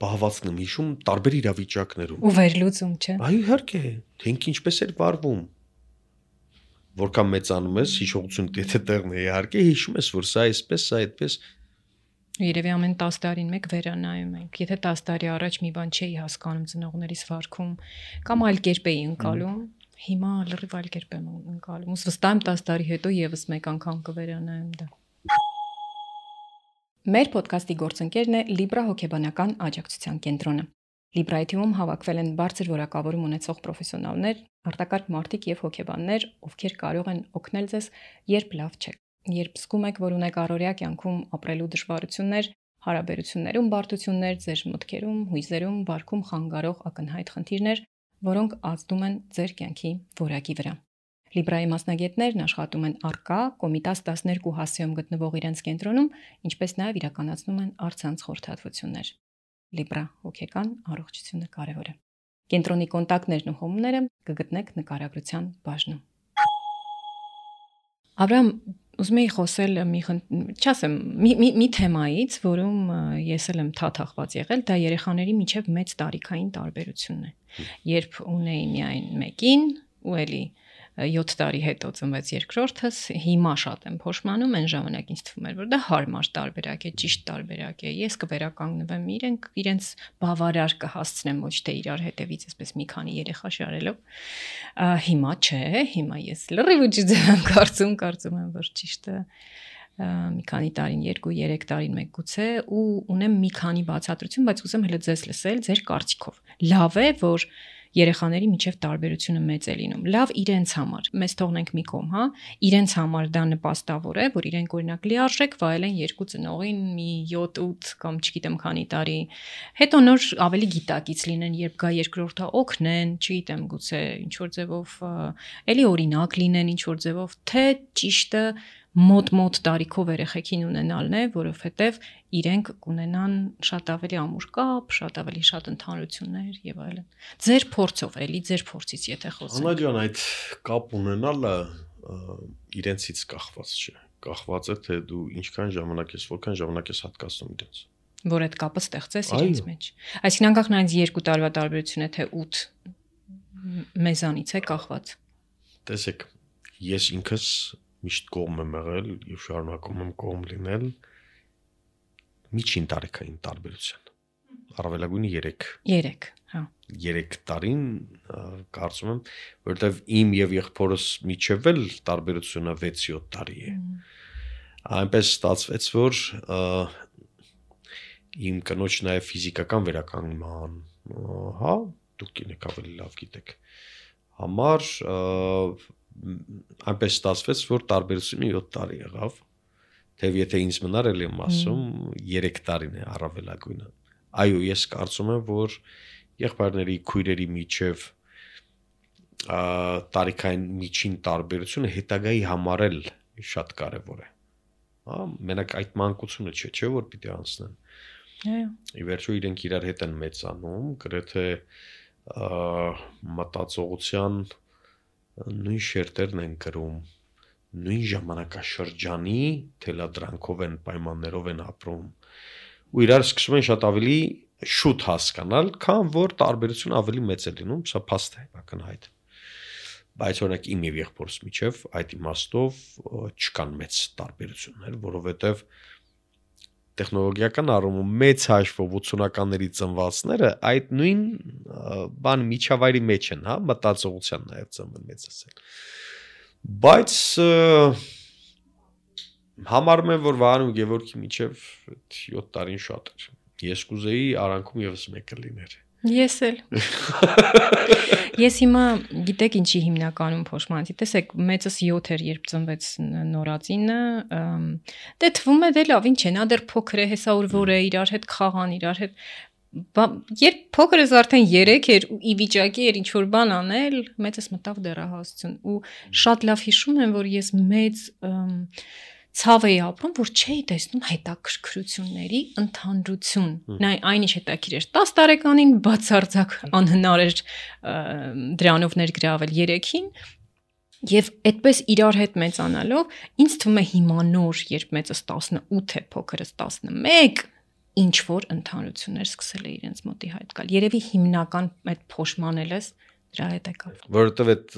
S1: բահվածքն եմ հիշում տարբեր իրավիճակներում։
S2: Ու վերլուծում, չէ։
S1: Այո, իհարկե, թե ինքը ինչպես էր վարվում։ Որքան մեծանում ես, հիշողությունը եթե տեղն է, իհարկե հիշում ես, որ սա այսպես, սա այդպես։
S2: Երևի ամեն 10 տարին մեկ վերանայում ենք։ Եթե 10 տարի առաջ մի բան չէի հասկանում ծնողներիս վարքում, կամ այլ կերպ էի ընկալում, հիմա լրիվ այլ կերպ եմ ընկալում։ Ус վստահ եմ 10 տարի հետո եւս մեկ անգամ կվերանայեմ դա։ Մեր ոդքասթի գործընկերն է Libra հոգեբանական աջակցության կենտրոնը։ Libra-ի թիմում հավաքվել են բարձր որակավորում ունեցող պրոֆեսիոնալներ, արտակարգ մարդիկ եւ հոգեբաններ, ովքեր կարող են օգնել ձեզ, երբ լավ չեք։ Երբ զգում եք, որ ունեք առօրյա կյանքում ապրելու դժվարություններ, հարաբերություններում բարդություններ, ձեր մտքերում, հույզերում, վարքում խանգարող ակնհայտ խնդիրներ, որոնք ազդում են ձեր կյանքի որակի վրա։ Libra-ի մասնագետներն աշխատում են առկա Կոմիտաս 12 հասցեում գտնվող իրենց կենտրոնում, ինչպես նաև իրականացնում են առցանց խորհրդատվություններ։ Libra հոգեկան առողջությունը կարևոր է։ Կենտրոնի կոնտակտներն ու հոմները կգտնեք նկարագրության բաժնում։ Աբրահամ, ուզում եի խոսել մի թեմայից, որում ես էլ եմ թաթախված եղել, դա երեխաների միջև մեծ տարիքային տարբերությունն է։ Երբ ունեի միայն մեկին, ու էլի 7 տարի հետո ծնվեց երկրորդս, հիմա շատ եմ փոշմանում, այն ժամանակ ինձ թվում էր, որ դա հարմար տարբերակ է, ճիշտ տարբերակ է։ Ես կվերականգնվեմ իրենց բավարար կհասցնեմ ոչ թե իրար հետևից այսպես մի քանի երեխա շարելով։ Հիմա չէ, հիմա ես լրիվ ու ճիշտ եմ կարծում եմ, որ ճիշտը մի քանի տարին, 2-3 տարին մեկ գուցե ու ունեմ մի քանի բացատրություն, բայց ուզեմ հենց ձեզ լսել ձեր կարծիքով։ Լավ է, որ երեխաների միջև տարբերությունը մեծ է լինում։ Լավ իրենց համար։ Մեզ թողնենք մի կողմ, հա, իրենց համար դա նպաստավոր է, որ իրենք օրինակ լիարժեք վայելեն երկու ծնողին մի 7-8 կամ չգիտեմ քանի տարի։ Հետո նոր ավելի գիտակից լինեն, երբ գա երկրորդը օգնեն, չգիտեմ, գուցե ինչ որ ձևով էլի օրինակ լինեն, ինչ որ ձևով, թե ճիշտը մոտ տարիքով երեխեքին ունենալն է, որովհետև իրենք կունենան շատ ավելի ամուր կապ, շատ ավելի շատ ընդհանրություններ եւ այլն։ Ձեր փորձով, էլի ձեր փորձից եթե խոսենք։
S1: Անա ջան, այդ կապ ունենալը իրենցից կախված չէ։ Կախված է թե դու ինչքան ժամանակ ես, որքան ժամանակ ես հատկացնում իրենց։
S2: Որ այդ կապը ստեղծես իրենց մեջ։ Այսինքն անկախ նայած 2 տարվա տարբերություն է թե 8 մեզանից է կախված։
S1: Տեսեք, ես ինքս միշտ կողմ եմ եղել եւ շարունակում եմ կողմ լինել միջին տարեկային տարբերության։ Առավելագույնը 3, հա։ 3 տարին կարծում եմ, որովհետեւ իմ եւ եղբորս միջև էլ տարբերությունը 6-7 տարի է։ Այնպես ստացվեց, որ իմ կնոջ նաեւ ֆիզիկական վերականգնման, հա, դուք եք ավելի լավ գիտեք։ Համար այնպես ստացվեց, որ տարբերությունը 7 տարի եղավ, թեև եթե ինձ մնար էլ եմ ասում 3 տարին է առավելագույնը։ Այո, ես կարծում եմ, որ եղբայրների քույրերի միջև տարիքային միջին տարբերությունը հետագայի համար էլ շատ կարևոր է։ Հա, մենակ այդ մանկությունը չէ, որ պիտի անցնեն։
S2: Այո։
S1: Ի վերջո իրենք իրար հետ են մեծանում, գրեթե մտածողության նույն շերտերն են գրում, նույն ժամանակաշրջանի թելադրանքով են, պայմաններով են ապրում ու իրար սկսում են շատ ավելի շուտ հասկանալ, քան որ տարբերությունը ավելի մեծ է լինում, սա փաստ է, ակնհայտ։ Բայց օրինակ իմ եւ եղբորս միջև այդ իմաստով չկան մեծ տարբերություններ, որովհետեւ տեխնոլոգիական առումով մեծ հաշվով 80-ականների ծնվածները այդ նույն բան միջավայրի մեջ են, հա, մտածողության նաև ծնվել մեծ ասել։ Բայց համարում եմ, որ Վահան ու Գևորգի միջև 7 տարին շատ էր։ Ես կուզեի արանքում եւս մեկը լիներ։
S2: Ես էլ։ Ես հիմա գիտեք ինչի հիմնականում փոշմանեցի։ Տեսեք, մեծս 7 էր, երբ ծնվեց նորածինը, դե թվում է դե լավ, ինչ է, նա դեռ փոքր է, հեսա որ է իրար հետ խաղան, իրար հետ երբ փոքրս արդեն 3 էր ու ի վիճակի էր ինչ որ բան անել, մեծս մտավ դեռահասություն ու շատ լավ հիշում եմ, որ ես մեծ ցավ էի ապրում, որ չէի տեսնում հետաքրքրությունների ընդհանրություն։ Այնինչ հետաքրիր էր 10 տարեկանին բացարձակ անհնար էր դրանով ներգրավել 3-ին եւ այդպես իրար հետ մեծանալով ինձ թվում է հիմա նոր, երբ մեծս 18 է, փոքրս 11, ինչ որ ընդհանրություններ սկսել է իրենց մոտի հայտ գալ։ Երևի հիմնական այդ փոշմանելս դրա հետ է կապ։
S1: Որովհետեւ այդ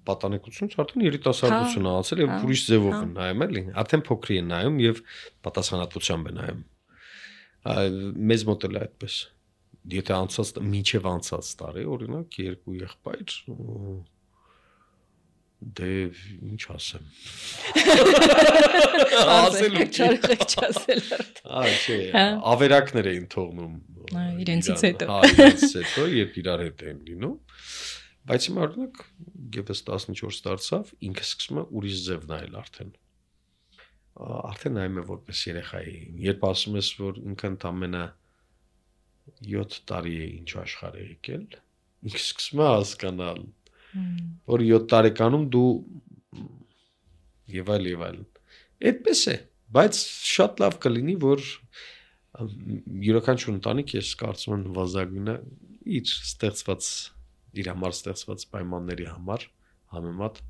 S1: պատանեկությունից արդեն երիտասարդություն է անցել եւ ուրիշ ձևով են նայում էլի, արդեն փոքրի են նայում եւ պատասխանատվությամբ են նայում։ Մեզ մոտ էլ է այդպես։ Եթե անցած մինչեւ անցած տարի, օրինակ, 2 եղբայր դե ինչ ասեմ։
S2: Ասել չասել։
S1: Չէ, ավերակներ էին թողնում
S2: իրենցից հետո։
S1: Իրենցից հետո, երբ իրար հետ են լինում։ Բայց հիմա օրինակ եւս 14 դարձավ, ինքը սկսում է ուրիշ ձև նայել արդեն։ Արդեն նայում է որպես երեխայի։ Երբ ասում ես, որ ինքը ընդամենը 7 տարի է ինչ աշխարհ է եկել, ինքը սկսում է հասկանալ, որ 7 տարեկանում դու եւ այլ։ Այդպես է, բայց շատ լավ կլինի, որ յուրաքանչյուր ընտանիք ես կարծում եմ նվազագույնը իր համար ստեղծված պայմանների համար համեմատ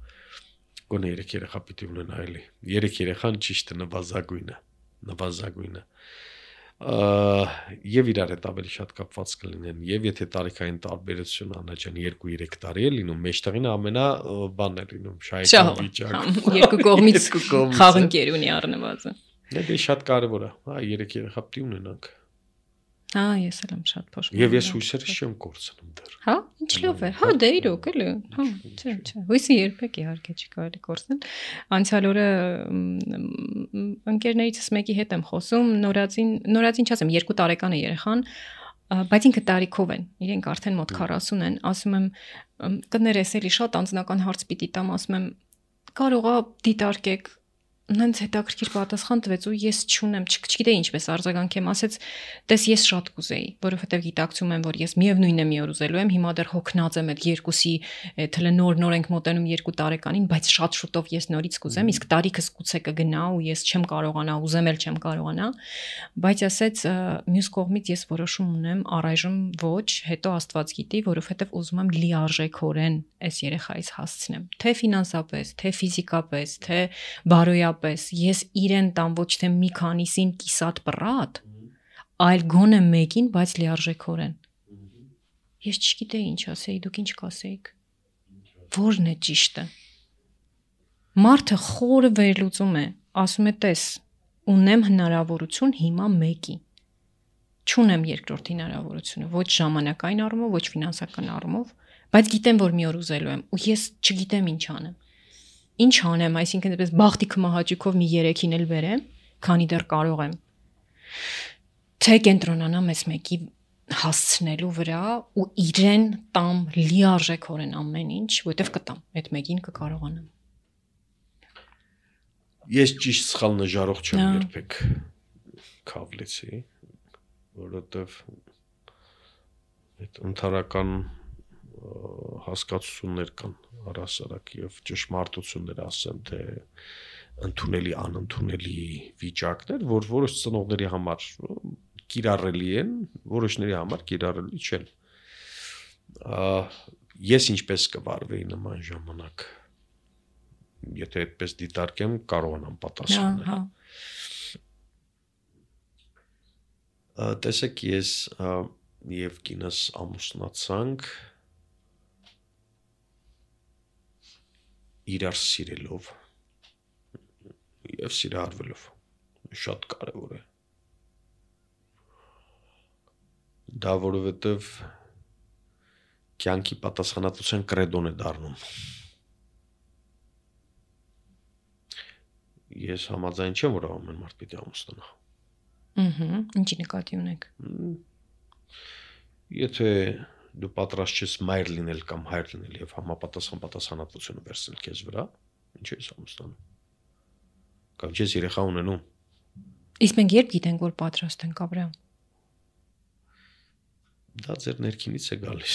S1: գոնե 3 երեխա պիտի ունենա էլի։ 3 երեխան ճիշտ է նվազագույնը։ Եվ իրար հետ ավելի շատ կապված կլինեն, եւ եթե տարիքային տարբերությունը անաչան 2-3 տարի է լինում, մեջտեղին ամենա բանն է լինում, շահեկան վիճակ։
S2: Երկու կողմից խաղընկեր ունի առնվածը։
S1: Դե շատ կարևոր է, հա, 3 երեխա պիտի ունենանք։
S2: Ես էլ եմ շատ փոշման։
S1: Եվ ես հույսերս չեմ կորցնում դեռ։
S2: Հա, ինչ լավ է։ Հա, դե իրոք էլի։ Հա, չէ։ Հույսը երբեք իհարկե չի կարելի կորցնել։ Անցյալ օրը ընկերներիցս մեկի հետ եմ խոսում, նորածին չասեմ, 2 տարեկան է երեխան, բայց ինքը տարիքով են, իրենք արդեն մոտ 40 են, ասում եմ, կներես էլի շատ անձնական հարց պիտի տամ, ասում եմ, կարողա դիտարկեք նենց հետաքրքիր պատասխան տվեց ու ես չունեմ, չգիտեի ինչպես արձագանքեմ, ասեց, տես ես շատ կուզեի, որովհետև գիտակցում եմ, որ ես միևնույնն է մի օր ուզելու եմ, հիմա դեռ հոգնած եմ այդ երկուսի թելը նոր ենք մոտենում 2 տարեկանին, բայց շատ շուտով ես նորից կուզեմ, իսկ տարիքս գուցե կգնա ու ես չեմ կարողանա, ուզեմ էլ չեմ կարողանա, բայց ասեց, մյուս կողմից ես որոշում ունեմ, առայժմ ոչ, հետո Աստված գիտի, որովհետև ուզում եմ լիարժեքորեն այս երեխայից հասցնեմ, թե ֆինանսապես, թե ֆիզիկապես, թե բարոյապես, ես իրեն տամ ոչ թե մի քանիսին կիսատ պռատ, այլ գոնե մեկին, բայց լիարժեքորեն։ Ես չգիտեի ինչ ասեի, դուք ինչ կասեիք։ Որն է ճիշտը։ Մարդը խորը վերլուծում է, ասում է, տես, ունեմ հնարավորություն հիմա մեկի։ Չունեմ երկրորդ հնարավորությունը, ոչ ժամանակային առումով, ոչ ֆինանսական առումով, բայց գիտեմ, որ մի օր ուզելու եմ, ու ես չգիտեմ ինչ անեմ։ Ինչ անեմ, այսինքն այդպես բախտի կմահաճուկով մի 3-ին էլ բերեմ, քանի դեռ կարող եմ։ Թե կենտրոնանամ այս մեկի հասցնելու վրա ու իրեն տամ լիարժեքորեն ամեն ինչ, որտեվ կտամ, այդ մեկին կկարողանամ։
S1: Ես ճիշտ սխալ նժարող չեմ երբեք քավլեցի, որովհետև այդ ընդհանրական հասկացություններ կան առասարակ եւ ճշմարտություններ ասեմ, թե ընդունելի անընդունելի վիճակներ, որ որոշ ծնողների համար կիրառելի են, որոշների համար կիրառելի չեն։ Ես ինչպես կվարվեի նման ժամանակ, եթե այդպես դիտարկեմ, կարողանամ պատասխանել։ Տեսեք, ես եւ կինս ամուսնացանք իրար սիրելով եւ սիրահարվելով, շատ կարեւոր է։ Դա որովհետեւ կյանքի պատասխանատվության կրեդոն է դառնում։ Ես համաձայն չեմ, որ ամեն մարդ պիտի ամուսնանա։
S2: Ինչի նկատի ունեք։
S1: Եթե դու պատրաստ ես մայր լինել կամ հայր լինել եւ համապատասխան պատասխանատվությունը վերցնել քեզ վրա, ինչ ես ամուսնանում։ Կամ ես երեխա ունենում։
S2: Իսկ մենք երբ գիտենք, որ պատրաստ ենք, Աբրահամ։
S1: Դա ձեր ներքինից է գալիս։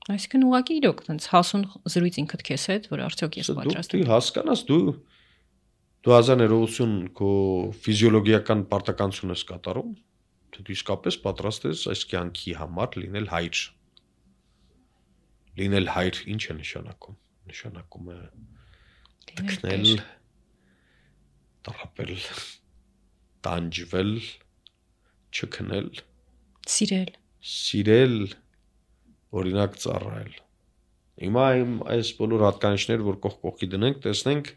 S2: Այսինքն ուղղակի իրոք տենց հասուն զրույց ինքդ քեզ հետ, որ արդյոք ես պատրաստ եմ։
S1: Դու հասկանաս, դու հազար ներողություն քո ֆիզիոլոգիական պարտականություն ես կատարում, թե դու իսկապես պատրաստ ես այս կյանքի համար լինել հայր։ Լինել հայր ինչ է նշանակում։ Նշանակում է տքնել, տառապել, տանջվել, չքնել, սիրել, օրինակ ծառայել։ Հիմա այս բոլոր հատկանիշները, որ կողքի դնենք, տեսնենք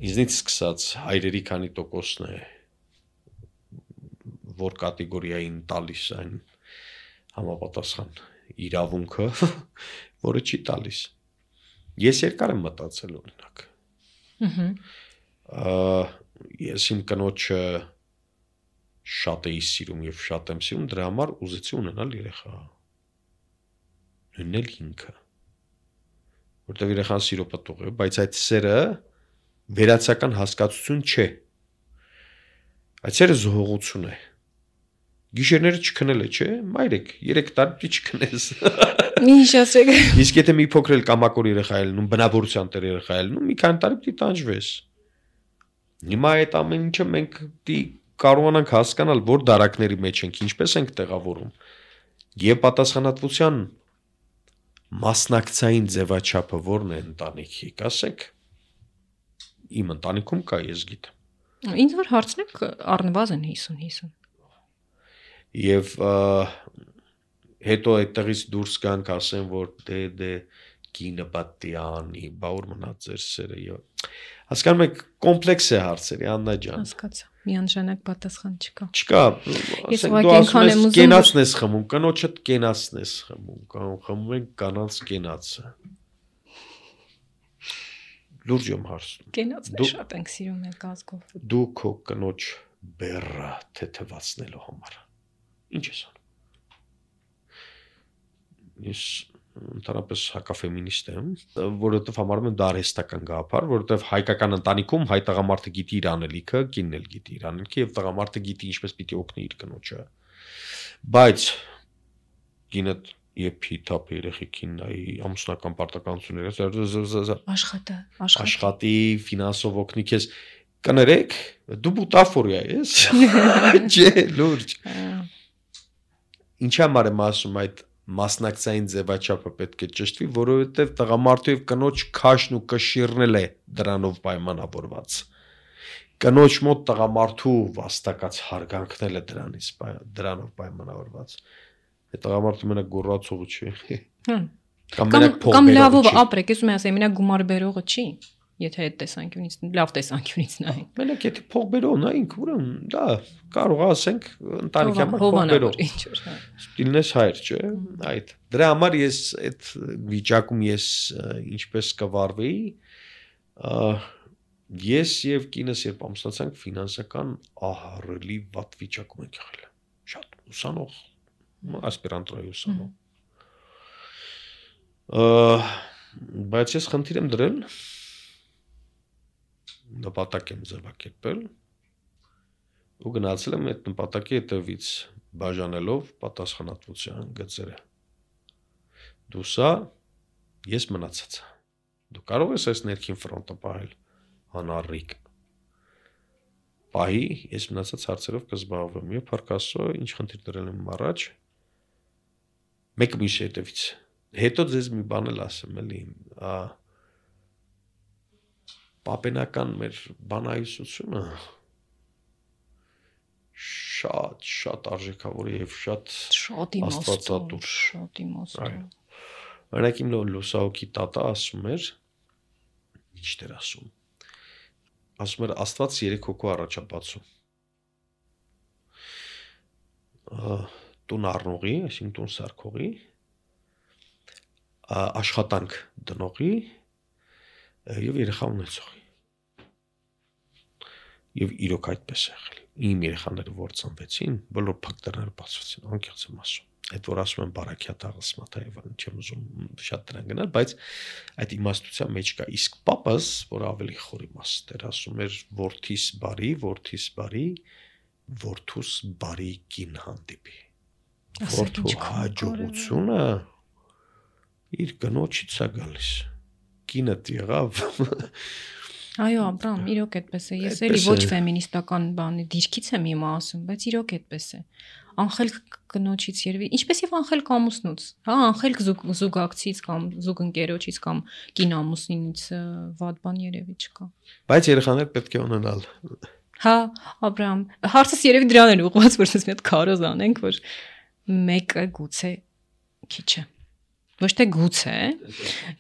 S1: ինձնից սկսած հայրերի քանի տոկոսն է, որ կատեգորիային տալիս այն համապատասխան իրավունքը, որը չի տալիս։ Ես երկար եմ մտածել օրինակ։ Ես իմ կնոջը շատ էի սիրում եւ շատ եմ սիրում, դրա համար ուզեցի ունենալ երեխա։ Նույնն էլ ինքը։ Որտեղ երեխան սիրո պտուղ է, բայց այդ սերը վերացական հասկացություն չէ։ Այդ սերը զողողություն է։ Գիշերները չքնել է, չէ՞, մայրեք, 3 տարի չքնես։
S2: Ինչ ասեք։
S1: Իսկ եթե մի փոքր էլ կամակոր երեխա է լինում, բնավորության տեր երեխա է լինում, մի քանի տարի պիտի տանջվես։ Հիմա այդ ամեն ինչը մենք պիտի կարողանանք հասկանալ, որ դարակների մեջ ենք, ինչպես ենք տեղավորում։ Եվ պատասխանատվության մասնակցային ձևաչափը որն է ընտանիքի, կասեք։ Իմ ընտանիքում կա, ես գիտեմ։
S2: Ինձ որ հարցնեք առնվազն 50-50։
S1: Եվ հետո այդտեղից դուրս գանք ասեն, որ դե կինը պատի անի, բա որ մնաց ձեր սերը եւ հասկանում եք կոմպլեքս է հարցերի, Աննա ջան։
S2: Հասկացա։ Միանշանակ պատասխան չկա։
S1: Չկա, ասենք դու ասում ես կենացն ես խմում, կնոջդ կենացն ես խմում, կամ խմում են կանանց կենացը։ Լուրջ եմ հարցնում։
S2: Կենացն շատ ենք սիրում եք ազգով։
S1: Դու քո կնոջ բեռը թեթևացնելու համար ինչ ես անում։ Ես ընդհանրապես հակաֆեմինիստ եմ, որովհետև համարում եմ դա արհեստական գաղափար, որովհետև հայկական ընտանիքում հայ տղամարդը գիտի իր անելիքը, կինն էլ գիտի իր անելիքը եւ տղամարդը գիտի ինչպես պիտի օգնի իր կնոջը։ Բայց կինը եփի թափ երեխեքին նայի ամուսնական պարտականությունները աշխատի, ֆինանսով օգնի քեզ կներեք, դու բուտաֆորիա ես։ Չէ, լուրջ։ Ինչի համար եմ ասում այդ մասնակցային ձևաչափը պետք է ճշտվի, որովհետև տղամարդու եւ կնոջ քաշն ու կշիռն է դրանով պայմանավորված։ Կնոջ մոտ տղամարդու վաստակած հարգանքն է դրանով պայմանավորված։ Այդ տղամարդը մենակ գոռացողը չի։
S2: Կամ լավով ապրեք, ես ուզում եմ ասեմ, մենակ գումար բերողը չի, եթե այդ տեսանկյունից, լավ տեսանկյունից նայենք։
S1: Մենակ եթե փող բերող նայենք, ուրեմն դա կարող է ասենք ընտանիքի համար փող բերող։ Ստիլնես հայր, չէ՞։ Այդ դրա համար ես այդ վիճակում ես ինչպես կվարվեի, ես եւ կինս երբ ամուսնացանք ֆինանսական ահռելի վատ վիճակում ենք եղել։ Շատ ուսանող, ասպիրանտուրայի ուսանող։ Բայց ես խնդիր եմ դրել նպատակ եմ ձևակերպել ու գնացել եմ այդ նպատակի հետևից բաժանելով պատասխանատվության գծերը։ Դու սա, ես մնացածը։ Դու կարող ես այս ներքին ֆրոնտը պահել անառիկ։ Պահի, ես մնացած հարցերով կզբաղվեմ եւ փառք Աստծո, ինչ խնդիր դրել եմ առաջ։ Մեկ միշտ հետևից։ Հետո ձեզ մի բան էլ ասեմ, էլի, պապենական մեր բանահյուսությունը շատ արժեքավոր եւ շատ աստվածատուր։
S2: Շատ իմաստուն։
S1: Օրինակ իմ լուսահոգի տատա ասում էր, ինչ դեր ասում։ Ասում էր Աստված 3 հոգու առաջապատում։ Տուն առնողի, այսինքն տուն սարքողի, աշխատանք դնողի եւ երեխա ունեցողի։ Եվ իրոք այդպես է եղել։ Իմ երեխաները որ ծնվեցին, բոլոր փակտերները բացվեցին, անկեղծ եմ ասում։ Այդ որ ասում են բարակյա աղսմաթա եւ այլն, չեմ ուզում շատ դրան գնալ, բայց այդ իմաստության մեջ կա։ Իսկ պապս, որ ավելի խոր իմաստ էր, ասում էր որդիս բարի, որդուս բարի կին հանդիպի։ Որդու հաջողությունը իր կնոջից է գալիս։ Կինդ եղավ։
S2: Այո, Աբրամ, իրոք այդպես է։ Ես էլի ոչ ֆեմինիստական բանի դիրքից եմ հիմա ասում, բայց իրոք այդպես է։ Անխելք կնոջից երևի, ինչպես եւ անխելք ամուսնուց, հա, անխելք զուգակցից կամ զուգընկերոջից կամ կին ամուսինից վատ բան երևի չկա։
S1: Բայց երեխաներ պետք է ունենալ։
S2: Հա, Աբրամ, հարցս երևի դրան էր ուղղված, որ ասես մի հատ քարոզ անենք, որ մեկը գուցե քիչ է։ Ոչ թե գուցե,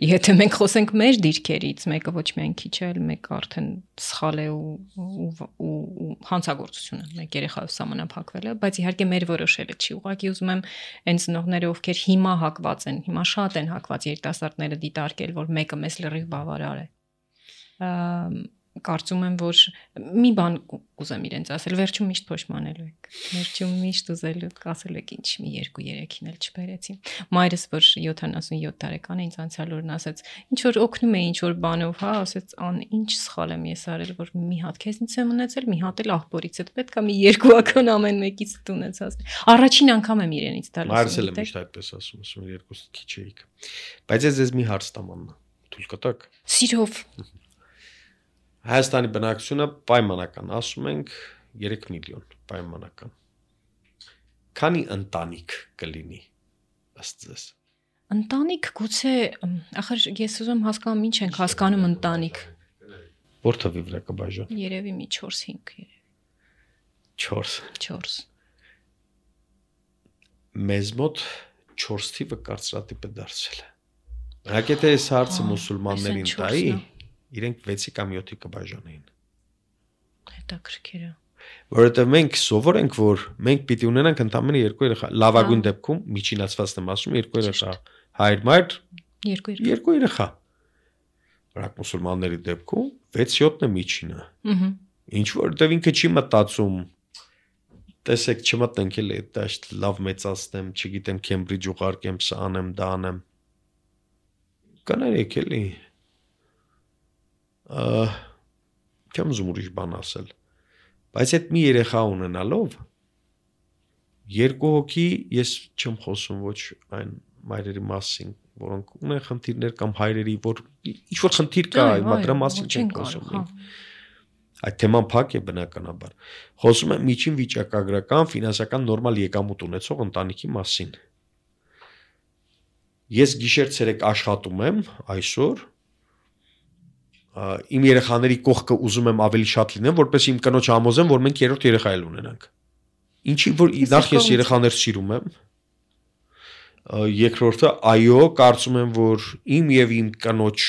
S2: եթե մենք խոսենք մեր դիրքերից, մեկը ոչ միայն քիչ է, այլ մեկը արդեն սխալ է ու հանցագործություն է, մեկ երեխայով սահմանափակվել է, բայց իհարկե մեր որոշելը չի։ Ուղղակի ուզում եմ այն ծնողները, ովքեր հիմա հակված են, հիմա շատ են հակված երիտասարդները դիտարկել, որ մեկը մեզ լրիվ բավարար է։ Կարծում եմ, որ մի բան կուզեմ իրենց ասել, վերջում միշտ փոշմանելու եք։ Վերջում միշտ ուզելու ասել եք, ինչ մի 2-3-ին էլ չբերեցի։ Մայրս, որ 77 տարեկան է, ինձ անցյալ օրն ասաց, ինչ որ օգնում է, ինչ որ բանով, հա, ասաց, ինչ սխալ եմ ես արել, որ մի հատ քեզնից եմ ունեցել, մի հատ էլ աղբորից, պետք է մի 2 անգամ ամեն մեկից ունեցած։ Առաջին անգամ եմ իրենից տալիս։
S1: Մայրս էլ միշտ այդպես ասում, 2 քիչ էիք։ Բայց ես մի հարց տամ աննա։ Թույլ կտակ։
S2: Սիրով։
S1: Հայաստանի բնակչությունը պայմանական, ասում ենք 3 միլիոն պայմանական։ Քանի ընտանիք կլինի ըստ ձեզ։
S2: Ընտանիք գուցե, ախր ես ուզում հասկանամ ինչ ենք հասկանում ընտանիք։
S1: Որ թվի վրա կբաժան։
S2: Երևի մի 4-5 երևի։
S1: 4։ Մեզ մոտ 4 թիվը կարծրատիպ է դարձել։ Հակեթե այս հարցը մուսուլմաններին տայի, իրենք 6-ի կամ 7-ի կբաժանեին։
S2: Հետաքրքիր է։
S1: Որովհետև մենք սովոր ենք, որ մենք պիտի ունենանք ընդամենը 2 երեխա, լավագույն դեպքում միջինացվածն եմ ասում 2 երեխա, հայր-մայր 2 երեխա։ Бірақ մուսուլմանների դեպքում 6-7-ն է միջինը։ Ինչ որտեվ ինքը չի մտածում, տեսեք չմտնենք էլի, դաշտ լավ մեծացնեմ, չգիտեմ Քեմբրիջ ուղարկեմ, սա անեմ, դա անեմ։ Կներեք էլի։ Չեմ ուզում ուրիշ բան ասել։ Բայց այդ մի երեխա ունենալով 2 հոգի ես չեմ խոսում ոչ այն մայրերի մասին, որոնք ունեն խնդիրներ կամ հայրերի, որ ինչ որ խնդիր կա, հիմա դրա մասին չենք խոսում։ Այդ թեման փակ է բնականաբար։ Խոսում եմ միջին վիճակագրական, ֆինանսական նորմալ եկամուտ ունեցող ընտանիքի մասին։ Ես գիշեր-ցերեկ աշխատում եմ այսօր, իմ երեխաների կողքը ուզում եմ ավելի շատ լինեմ, որպես իմ կնոջ համոզեմ, որ մենք 3-րդ երեխա էլ ունենանք։ Ինչի որ նախ ես երեխաներ սիրում եմ, երկրորդը այո, կարծում եմ, որ իմ եւ իմ կնոջ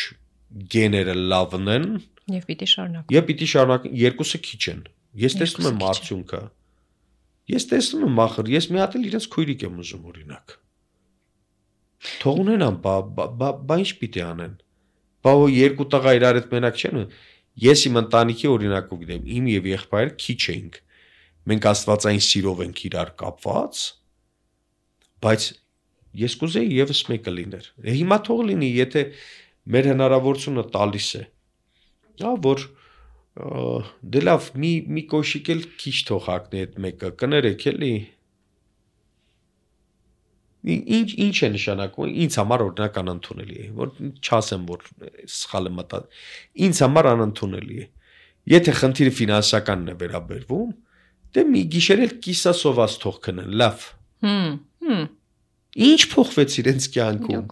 S1: գեները լավն են,
S2: եւ պիտի շարունակեն։
S1: Եվ պիտի շարունակեն, երկուսը քիչ են։ Ես տեսնում եմ արդյունքը։ Ես տեսնում եմ ախր, ես մի հատ էլ իրենց քույրիկ եմ ուզում օրինակ։ Թող ունենան, բա ինչ պիտի անեն։ Բա 2 տղա իրար հետ մենակ չեն։ Ես իմ ընտանիքի օրինակով գիտեմ, իմ եւ եղբայրը քիչ էինք։ Մենք աստվածային սիրով ենք իրար կապված, բայց ես կուզեի եւս մեկը լիներ։ Հիմա թող լինի, եթե մեր հնարավորությունը տալիս է։ Որ դե լավ, մի կոշիկ էլ քիչ թող հագնի այդ մեկը, կներեք էլի։ Ինչ է նշանակում, ինձ համար օրինակ անընդունելի է, որ չասեմ, որ սխալ եմ մտածում, ինձ համար անընդունելի է։ Եթե խնդիրը ֆինանսականն է վերաբերվում, դե մի գիշեր էլ կիսասոված թող քնեն, լավ։ Ինչ փոխվեց իրենց կյանքում։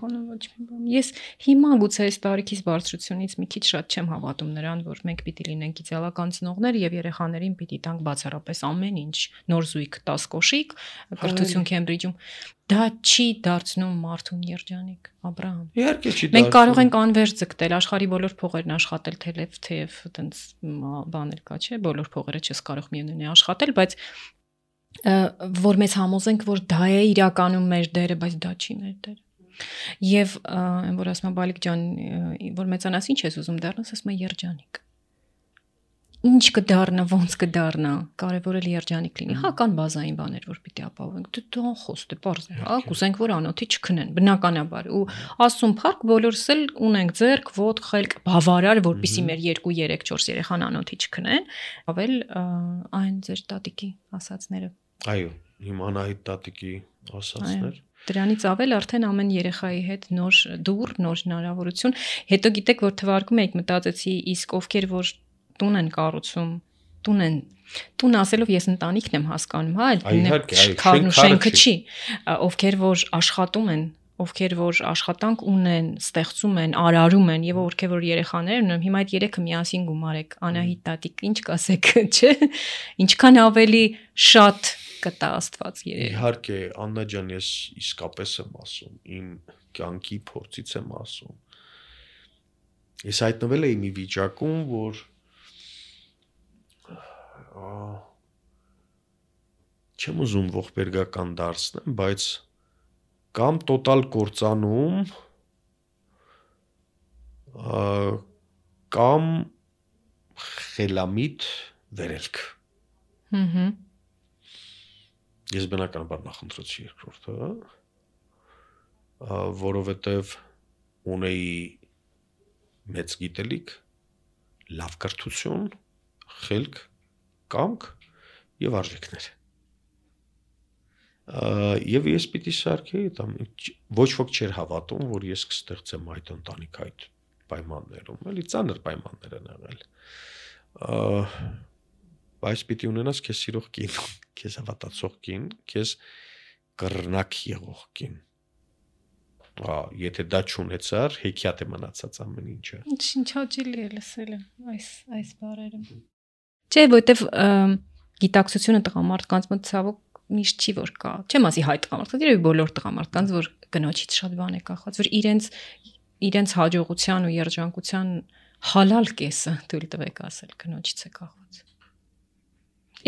S2: Ես հիմա գուցե այս տարիքից բարձրությունից մի քիչ շատ չեմ հավատում նրան, որ մենք պիտի լինենք իդեալական ծնողներ եւ երեխաներին պիտի տանք բացառապես ամեն ինչ, նոր զույգ 10 կոշիկ, կրթություն Քեմբրիջում։ Դա չի դարձնում մարդուն երջանիկ, Աբրահամ։
S1: Իհարկե չի դարձնում։
S2: Մենք կարող ենք անվերջ ձգտել, աշխարհի բոլոր փողերն աշխատել, թեև այտենց բան էլ կա, չէ, բոլոր փողերը չես կարող միևնույն է աշխատել, բայց որ մեզ համոզենք, որ դա է իրականում մեր դերը, բայց դա չի մեր դերը։ Եվ որ ասում եմ Բալիկ ջան, որ մեծանաս ինչ ես ուզում դառնաս, ասում եմ երջանիկ։ Ինչ կդառնա, ոնց կդառնա, կարևորը երջանիկ լինի։ Հա կան բազային բաներ, որ պիտի ապահովենք։ Դե խոստ է, պարզ է, հա, կուզենք, որ անոթի չքնեն, բնականաբար։ Ու ասում փառք բոլորս էլ ունենք ձեռք, ոտք, խելք, բավարար, որպեսզի մեր 2, 3, 4 երեխան անոթի չքնեն, ավել այն ձեր տատիկի ասածները։
S1: Այո, հիմա Անահիտ տատիկի ասածներ։
S2: Դրանից ավել արդեն ամեն երեխայի հետ նոր դուռ, նոր հնարավորություն։ Հետո գիտեք, որ թվարկում եք, մտածեցի, իսկ ովքեր որ տուն են կառուցում, տուն ասելով ես ընտանիքն եմ հասկանում, հա, այլ շենքը չի, ովքեր որ աշխատում են, ովքեր որ աշխատանք ունեն, ստեղծում են, արարում են եւ ովքեր որ երեխաներ ունեն, հիմա այդ երեքը միասին գումարեք, Անահիտ տատիկ, ինչ կասեք, չէ՞։ Ինչքան ավելի շատ կտա Աստված երեք։
S1: Իհարկե, Աննա ջան, ես իսկապես եմ ասում, իմ կյանքի փորձից եմ ասում։ Ես հայտնվել էի մի վիճակում, որ չեմ ուզում ողբերգական դարձնեմ, բայց կամ տոտալ կործանում, կամ խելամիտ վերելք։ Ես բնականաբար նախընտրեցի երկրորդը, որովհետև ունեի մեծ գիտելիք, լավ կրթություն, խելք, կամք եւ արժեքներ։ Եվ ես պիտի սարքեի, ոչ ոք չէր հավատում, որ ես կստեղծեմ այդ ընտանիք այդ պայմաններում, էլի ծանր պայմաններ են եղել։ Բայց պիտի ունենաս քեզ սիրող կին, քեզ հավատացող կին, քեզ կռնակ եղող կին։ Եթե դա չունեցար, հեքիաթ է մնացած ամեն ինչը։
S2: Ինչ հաճելի է լսել այս բառերը։ Չէ, որովհետև գիտակցությունը տղամարդկանց մոտ ցավոք միշտ չի որ կա։ Չեմ ասի հայ տղամարդկանց, երևի բոլոր տղամարդկանց, որ կնոջից շատ բան է կախված, որ իրենց հաջողության ու երջանկության հալալ կեսը թույլ տվեք ասել կնոջից է կախված։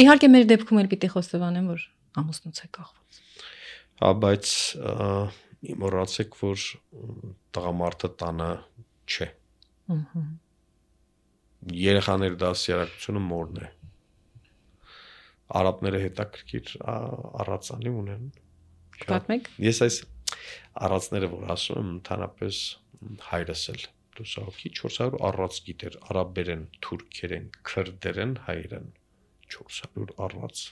S2: Իհարկե մեր դեպքում էլ պիտի խոստովանեմ, որ ամուսնուց է կախված։
S1: Հա, բայց մոռացեք, որ տղամարդը տանը չէ։ Երեխաների դասյարակությունը մորն է։ Արաբները հետաքրքիր առածանի ունեն։
S2: Պատմեք։
S1: Ես այս առածները, որ ասում եմ, ընդհանրապես հայրս էլ դուսահոգի 400 առած գիտեր, արաբերեն, թուրքերեն, քրդերեն, հայերեն 400 առած։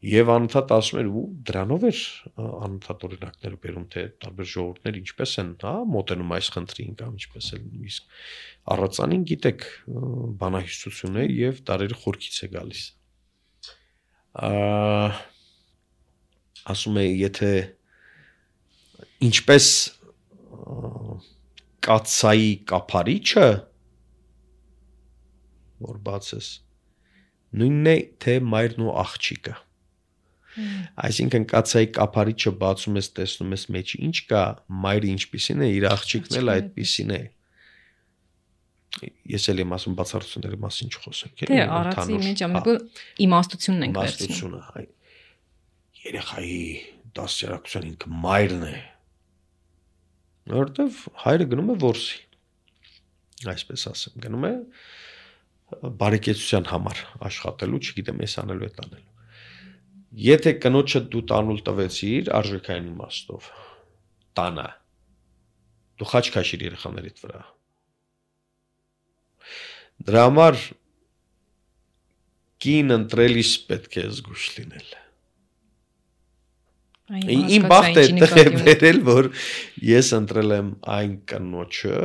S1: Եվ անընդհատ ասում էր, ու դրանով էր անընդհատ օրինակները բերում, թե տարբեր ժողովուրդներ ինչպես են, հա, մոտենում այս խնդրին կամ ինչպես են իսկ առածանին գիտեք, բանահյուսություն է եւ տարերը խորքից է գալիս։ Ասում է, եթե ինչպես կացայի կափարիչը որ բացես նույնն է թե մայրն ու աղջիկը այսինքն կացայի կափարիչը բացում ես տեսնում ես մեջի ինչ կա մայրը ինչպիսին է իր աղջիկն էլ այդպիսին է ես էլ եմ ասում բացառությունների մասին չխոսենք
S2: դե առածի մեջ ամենը իմաստությունն ենք վերցնում
S1: երեխայի դասյարակության ինքը մայրն է որտեվ հայրը գնում է որսի այսպես ասեմ գնում է բարեկեցության համար աշխատելու չգիտեմ ես անելու է տանելու եթե կնոջը դու տանուլ տվեցիր արժեքային իմաստով տանը դու խաչ քաշիր երեխաներիդ վրա դրա համար կին ընտրելիս պետք է զգուշ լինել Իմ բախտը է բերել, որ ես ընտրել եմ այն կնոջը,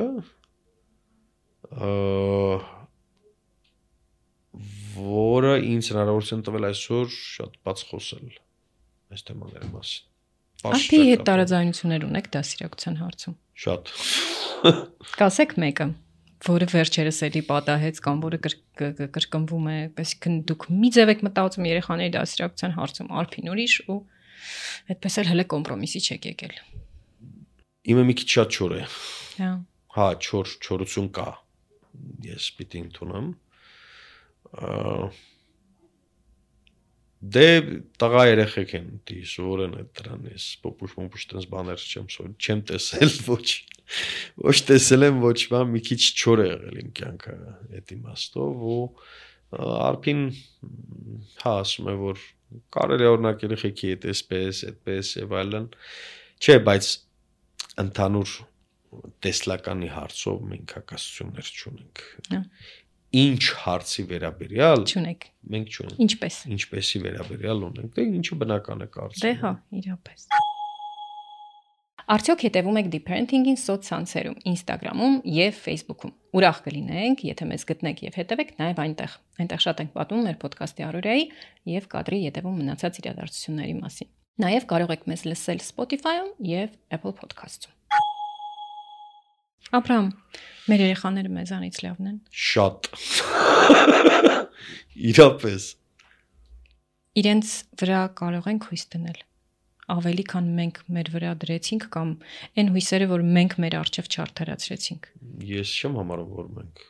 S1: որը ինձ հնարավորություն տվել այսօր շատ բաց խոսել այս թեմաների մասին։
S2: Ահա հետ տարաձայնություններ ունեք դասիրակության հարցում։
S1: Շատ։
S2: Կասեք մեկը, որը վերջերս էլի պատահեց կամ որը կրկնվում է, այսինքն դուք մի ձև եք մտածում երեխաների դասիրակության հարցում, Արփին ուրիշ ու այդպես էլ հələ կոմպրոմիսի չեք եկել։
S1: Իմը մի քիչ շատ չոր է։
S2: Հա։
S1: Հա, չորություն կա։ Ես պիտի ընդունեմ։ Դե տղա երեխեք են դի սովորեն այդ դրանից պոպուշ տես բաներ չեմ տեսել ոչ տեսել եմ ոչ բան մի քիչ չոր է եղել իմ կյանքը այդ իմաստով ու Արփին հա ասում է որ կարելի է օրինակ երեխեքի հետ այսպես այդպես եւ այլն չէ բայց ընդհանուր տեսլականի հարցով մենք հակասություններ չունենք ինչ հարցի վերաբերյալ
S2: չունենք
S1: մենք չունենք
S2: ինչպեսի
S1: վերաբերյալ ունենք դե ինչը բնական է կարծում
S2: դե հա իրապես Արդյոք հետևում եք Deparenting-ին սոցցանցերում, Instagram-ում եւ Facebook-ում։ Ուրախ կլինենք, եթե մեզ գտնեք եւ հետևեք նաեւ այնտեղ։ Այնտեղ շատ ենք պատմում մեր ոդքասթի առօրյայի եւ կադրի հետևում մնացած իրադարձությունների մասին։ Նաեւ կարող եք մեզ լսել Spotify-ում եւ Apple Podcast-ում։ Աբրահամ, մեր երեխաները մեզանից լավն են։
S1: Շատ։ Իրապես։
S2: Իրենց վրա կարող ենք հույս դնել։ Ավելի քան մենք մեր վրա դրեցինք կամ այն հույսերը, որ մենք մեր արժև չարդարացրեցինք։
S1: Ես չեմ համարում, որ մենք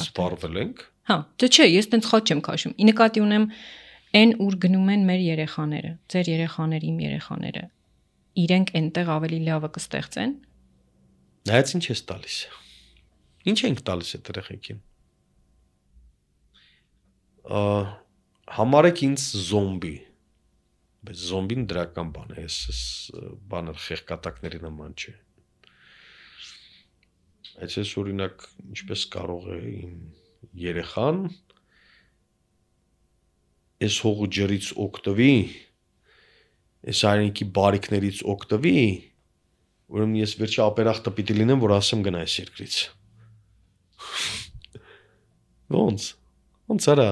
S1: սպառվել ենք։
S2: Հա, դե չէ, ես տենց խաչ չեմ քաշում։ Ի նկատի ունեմ այն ուր գնում են մեր երեխաները, ձեր երեխաները, իմ երեխաները։ Իրենք այնտեղ ավելի լավը կստեղծեն։
S1: Նայած ինչ ես տալիս։ Ինչ ենք տալիս այդ երեխեքին։ Համարեք ինձ զոմբի։ Բայց զոմբին դրական բան է, այս բանը խեղկատակների նման չէ։ Այսպես օրինակ, ինչպես կարող է իմ երեխան այս հողու ջրից օգտվի, այս այրենքի բարիքներից օգտվի, ուրեմն ես վերջի ապերախտը պիտի լինեմ, որ ասեմ գնա այս երկրից։ Ոնց արա։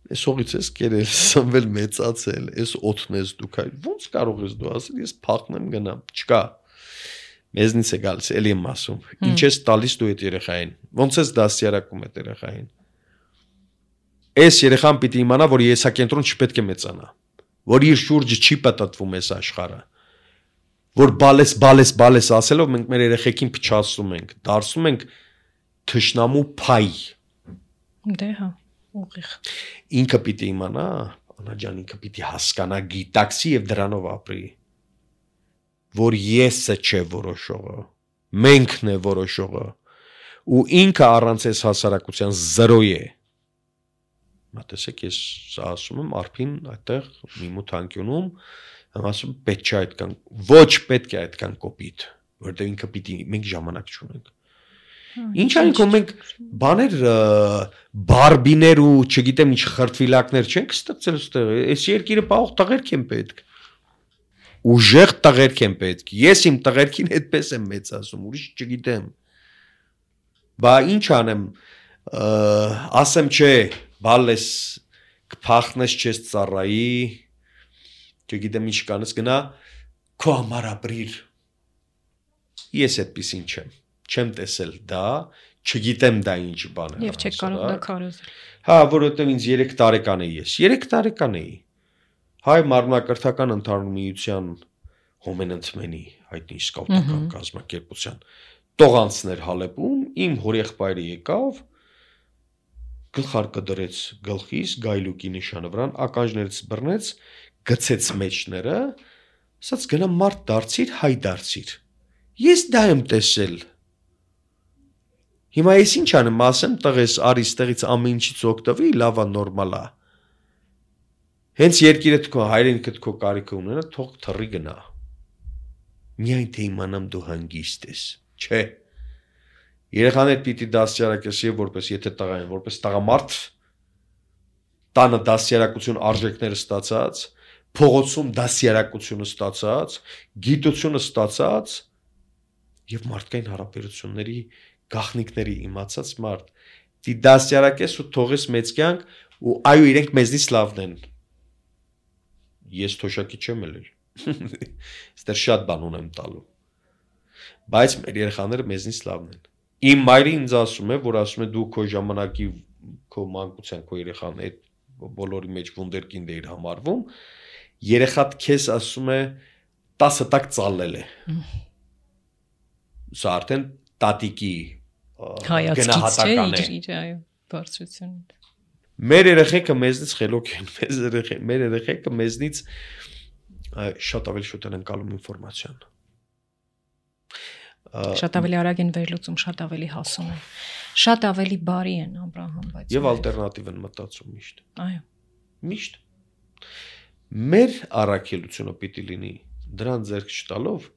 S1: Այս հողից ես կերել, սնվել մեծացել, այս օդն ես դուք ոնց կարող ես դու ասել, ես փախնեմ գնամ, չկա։ Մեզնից է գալիս, էլի եմ ասում։ Ինչ ես տալիս դու այդ երեխային։ Ոնց ես դասյարակում այդ երեխային։ Այս երեխան պիտի իմանա, որ եսակենտրոն չպետք է մեծանա, որ իր շուրջը չի պատտվում այս աշխարհը։ Որ բալես ասելով մենք մեր երեխեքին փչացնում ենք, դարձնում ենք թշնամու փայ։
S2: Դե հա։ ուղիղ։
S1: Ինքը պիտի իմանա, Անա ջան, ինքը պիտի հասկանա, գիտակցի եւ դրանով ապրի, որ եսը չէ որոշողը, մենքն է որոշողը, ու ինքը առանց այս հասարակության 0 է։ Մտածեք, ես ասում եմ արփին այդտեղ մի մութանկյունում, ասում պետք չէ այդքան, ոչ պետք է այդքան կոպիտ, որտեղ ինքը պիտի մենք ժամանակ չունենք։ Ինչ այնքո մենք բաներ բարբիներ ու չգիտեմ ինչ խրտվիլակներ չենք ստեղծել այստեղ, այս երկիրը պաղող տղերք են պետք։ Ուժեղ տղերք են պետք։ Ես իմ տղերքին այդպես եմ մեծացում, ուրիշ չգիտեմ։ Բա ինչ անեմ, ասեմ չէ, բալես կփախնես չես ծառայի, չգիտեմ ինչ կանես գնա, քո համար ապրիր։ Ես այդպեսին չեմ տեսել դա, չգիտեմ դա ինչ բան է։
S2: Եվ չեք կարող դա քարոզել։
S1: Հա, որովհետև ինձ 3 տարեկան էի ես, 3 տարեկան էի։ Հայ մարմնակրթական ընդհանուր միության հոմենընթմենի, հայտնի սկաուտական կազմակերպության տողանցներ Հալեպում, իմ հորեղբայրը եկավ, գլխարկը դրեց գլխիս, գայլուկի նշանը վրան, ականջներից բռնեց, գցեց մեջները, ասաց գնա մարդ դարձիր, հայ դարձիր։ Ես դա եմ տեսել։ Հիմա ես ինչ անեմ, ասեմ տղես արի ստեղից ամեն ինչից օգտվի, լավա նորմալ է։ Հենց երկիրդ քո հայրենիքդ քո կարիքը ունենա, թող թռի գնա։ Միայն թե իմանամ դու հանգիստ ես, չէ։ Երեխաներ պիտի դասյարակես եւ որպես եթե տղա են, որպես տղամարդ տանը դասյարակություն արժեքները ստացած, փողոցում դասյարակությունը ստացած, գիտությունը ստացած եւ մարդկային հարաբերությունների գաղտնիքների իմացած մարդ, դի դասյարակես ու թողես մեծ կյանք ու այո իրենք մեզնից լավն են։ Ես թոշակի չեմ ելել։ Ստեր շատ բան ունեմ տալու։ Բայց մեր երեխաները մեզնից լավն են։ Իմ մայրը ինձ ասում է, որ ասում է դու քո ժամանակի քո մանկության քո երեխան այդ բոլորի մեջ վունդերկինդ է իր համարվում, երեխատ քեզ ասում է 10 տակ ծալել է։ Սա արդեն տատիկի գնահատական է։
S2: Այո, բարձրությունից։
S1: Մեր երեխեքը մեզնից խելոք են, մեր երեխեքը մեզնից շատ ավելի շուտ են ընկալում ինֆորմացիան։
S2: Շատ ավելի արագ են վերլուծում, շատ ավելի հասուն են, շատ ավելի բարի են Աբրահամ, բայց
S1: եւ ալտերնատիվ են մտածում միշտ։
S2: Այո։
S1: Միշտ։ Մեր առաքելությունը պիտի լինի դրան ձեռք չտալով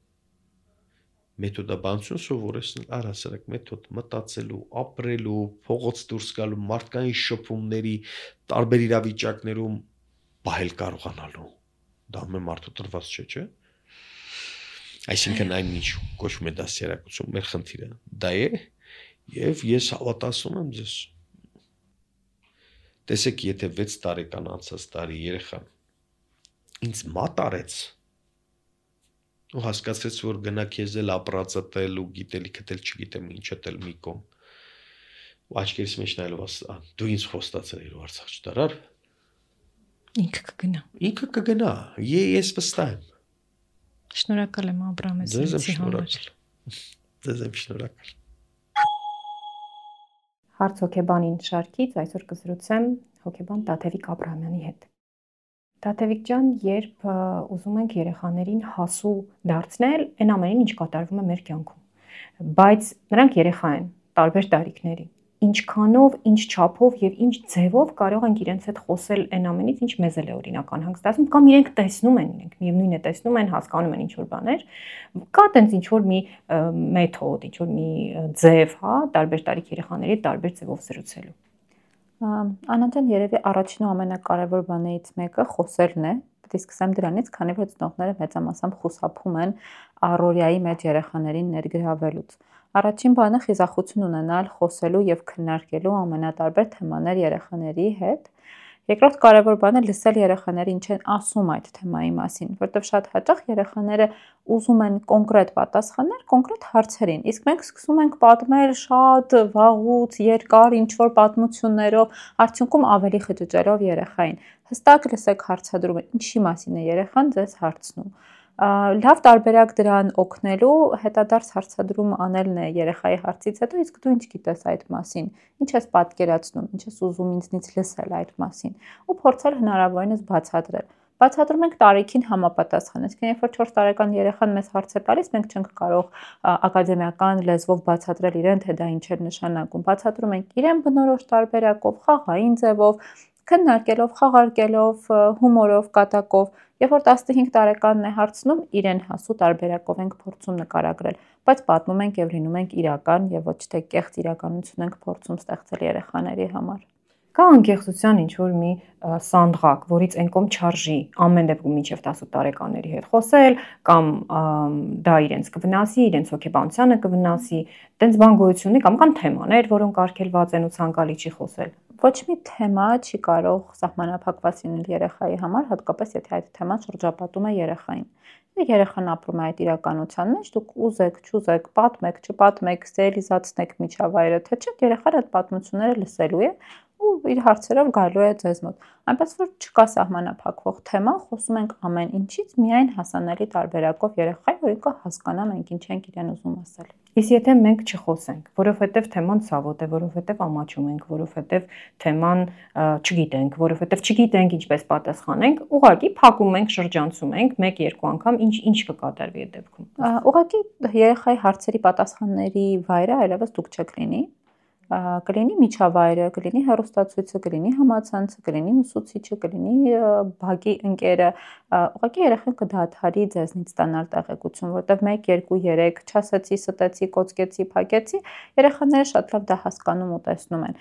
S1: մեթոդաբանություն սովորեցնել, առհասարակ մեթոդ մտածելու, ապրելու, փողոց դուրս գալու, մարդկային շփումների տարբեր իրավիճակներում պահել կարողանալու։ Դա մե մարդու տրված չէ։ Այսինքն այն ինչ կոչվում է դասյարակություն, մեր խնդիրը դա է, եւ ես հավատացում եմ ձեզ։ Տեսեք, եթե 6 տարեկան անցած տարի երեխան ինձ մատ արեց ու հասկացրեց, որ գնա քեզ էլ ապրածտել ու գիտելիքդ չգիտեմ ինչդ էլ մի կողմ։ Ու աչքերիս մեջ նայելով ասա, դու ինձ խոստացել ես ու Արցախ չդարար։
S2: Ինքը կգնա։
S1: Ինքը կգնա, ես վստահ եմ։
S2: Շնորհակալ եմ Աբրահամ
S1: Ձեզ եմ շնորհակալ։
S2: Հարց հոգեբանին շարքից այսօր կզրուցեմ հոգեբան Տաթևիկ Աբրահամյանի հետ։ Տաթևիկ ջան, երբ ուզում ենք երեխաներին հասու դարձնել, այն ամենին ինչ կատարվում է մեր կյանքում։ Բայց նրանք երեխա են, տարբեր տարիքների։ Ինչքանով, ինչ չափով եւ ինչ ձևով կարող ենք իրենց հետ խոսել այն ամենից, ինչ մեզ էլ է օրինական հանգստացնում, կամ իրենք տեսնում են, իրենք միևնույն է տեսնում են, հասկանում են ինչ որ բաներ։ Կա տենց ինչ որ մի մեթոդ, ինչ որ մի ձև, հա, տարբեր տարիք երեխաների տարբեր ձևով զրուցելու։
S3: Անանջան, երևի առաջին ու ամենակարևոր բաներից մեկը խոսելն է։ Պետք է սկսեմ դրանից, քանի որ ծնողները մեծամասամբ խուսափում են առօրյայի մեջ երեխաներին ներգրավելուց։ Առաջին բանը խիզախություն ունենալ խոսելու եւ քննարկելու ամենատարբեր թեմաներ երեխաների հետ։ Երկրորդ կարևոր բանը լսել երեխաները ինչ են ասում այդ թեմայի մասին, որտեղ շատ հաճախ երեխաները ուզում են կոնկրետ պատասխաններ կոնկրետ հարցերին, իսկ մենք սկսում ենք պատմել շատ վաղուց, երկար ինչ-որ պատմություններով, արդյունքում ավելի խճճելով երեխային։ Հստակ լսեք հարցադրումը, ինչի մասին է երեխան ձեզ հարցնում։ Լավ տարբերակ դրան օգնելու հետադարձ հարցադրում անելն է երեխայի հարցից հետո, իսկ դու ինչ գիտես այդ մասին, ինչ ես պատկերացնում, ինչ ես ուզում ինձնից լսել այդ մասին ու փորձել հնարավորինս բացատրել։ Բացատրում ենք տարիքին համապատասխան, այսինքն երբ որ 4 տարեկան երեխան մեզ հարց է տալիս, մենք չենք կարող ակադեմիական լեզվով բացատրել իրեն, թե դա ինչ է նշանակում։ Բացատրում ենք իրեն բնորոշ տարբերակով, խաղային ձևով, քննարկելով, խաղարկելով, հումորով, կատակով։ Երբ որ 15 տարեկանն է հարցնում, իրեն հասու տարբերակով ենք փորձում նկարագրել, բայց պատմում ենք եւ լինում ենք իրական եւ ոչ թե կեղծ իրականություն ենք փորձում ստեղծել երեխաների համար։
S2: Կա անկեղծության ինչ-որ մի սանդղակ, որից ենկոմ չարժի ամեն դեպքում մինչև 18 տարեկանների հետ խոսել, կամ դա իրենց կվնասի, իրենց հոգեբանությանը կվնասի, տենց բան գոյություն ունի, կամ կան թեմաներ, որոնք արգելված են ու ցանկալի չի խոսել։
S3: Ոչ մի թեմա չի կարող սահմանափակված լինել երեխայի համար, հատկապես եթե այդ թեման շրջապատում է երեխային։ Երեխան ապրում է այդ իրականության մեջ, դուք ուզեք, չուզեք, պատմեք, չպատմեք, սերիալիզացնեք միջավայրը, թե չէ, երեխան այդ պատմությունները լսելու է ու իր հարցերով գալու է ձեզ մոտ։ Այնպես որ չկա սահմանափակվող թեմա, խոսում ենք ամեն ինչից, միայն հասանելի տարբերակով երեխայի, որ ինքը հասկանա մենք ինչ ենք իրեն ուզում ասել։
S2: Իսկ եթե մենք չխոսենք, որովհետև թեման ցավոտ է, որովհետև ամաչում ենք, որովհետև թեման չգիտենք, որովհետև չգիտենք ինչպես պատասխանենք, ուղղակի փակում ենք, շրջանցում ենք 1-2 անգամ, ինչ կկատարվի այդ դեպքում։
S3: Ուղղակի երեխայի հարցերի պատասխանների վայրը այլևս դուք չեք լինի։ Կլինի միջավայրը, կլինի հեռուստացույցը, կլինի համացանցը, կլինի ուսուցիչը, կլինի բակի ընկերը, ուղղակի երեխան կդադարի ձեզնից ստանալ տեղեկություն, որտեղ 1, 2, 3 չասեցի, ստեցի, կոծկեցի, փակեցի, երեխաները շատ լավ դա հասկանում ու տեսնում են։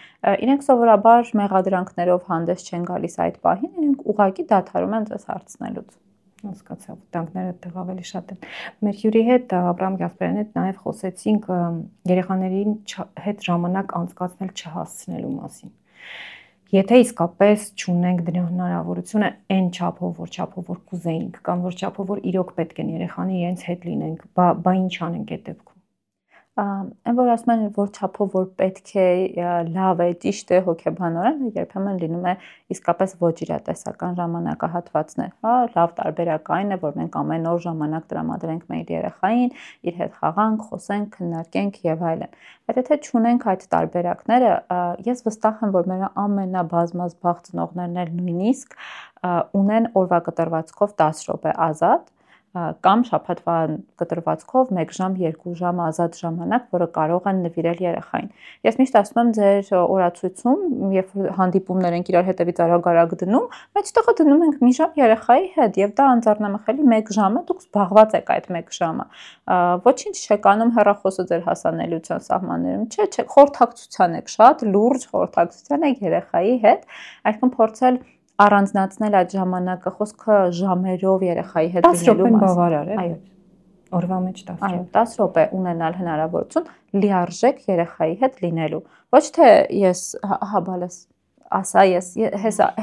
S3: Իրենք սովորաբար մեղադրանքներով հանդես չեն գալիս այդ պահին, իրենք ուղղակի դադարում են ձեզ հարցնելուց։
S2: Հասկացա, վտանգները այդտեղ ավելի շատ են։ Մեր հյուրի հետ Աբրահամ Գասպարյանի հետ նաև խոսեցինք երեխաներին հետ ժամանակ անցկացնել չհասցնելու մասին։ Եթե իսկապես չունենք դրա հնարավորությունը այն չափով, որ կուզեինք, կամ որ չափով, որ իրոք պետք են երեխանի իրենց հետ լինենք, բա ինչ անենք այդ դեպքում։
S3: Այն որ ասում են, որ չափով որ պետք է, լավ է, ճիշտ է, հոգեբանորեն, երբեմն լինում է իսկապես ոչ իրատեսական ժամանակահատվածներ, հա, լավ տարբերակ այն է, որ մենք ամեն օր ժամանակ տրամադրենք մեր երեխային, իր հետ խաղանք, խոսենք, քննարկենք եւ այլն։ Բայց եթե չունենք այդ տարբերակները, ես վստահ եմ, որ մեր ամենաբազմազբաղ ծնողներն էլ նույնիսկ ունեն օրվա կտրվածքով 10 րոպե ազատ կամ շաբաթվա կտրվածքով 1 ժամ, 2 ժամ ազատ ժամանակ, որը կարող են նվիրել երեխային։ Ես միշտ ասում եմ ձեր օրացույցում, երբ հանդիպումներ ենք իրար հետևից արագ դնում, մեջտեղը դնում ենք մի ժամ երեխայի հետ եւ դա անձեռնամխելի 1 ժամ է, դուք զբաղված եք այդ 1 ժամը։ Ոչինչ չեք անում հեռախոսը ձեր հասանելիության սահմաններում, չէ, խորհրդակցության եք շատ լուրջ խորհրդակցության եք երեխայի հետ, այսինքն փորձել առանձնացնել այդ ժամանակը, խոսքը ժամերով երեխայի հետ
S2: լինելու մասին։ 10 րոպեն բավարար է։ Այո։ Օրվա մեջ 10 րոպե։
S3: Այո, 10 րոպե ունենալ հնարավորություն լիարժեք երեխայի հետ լինելու։ Ոչ թե ես հաբալես ասա ես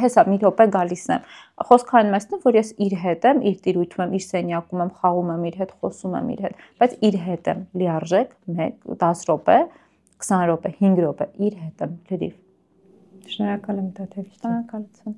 S3: հեսա մի րոպե գալիս եմ։ Խոսքը այն մասն է, որ ես իր հետ եմ, իր տիրույթում եմ, իր սենյակում եմ, խաղում եմ իր հետ, խոսում եմ իր հետ, բայց իր հետ եմ լիարժեք 10 րոպե, 20 րոպե, 5 րոպե իր հետ եմ լրիվ։
S2: Շնորհակալ եմ Տաթևի։
S3: Շնորհակալություն։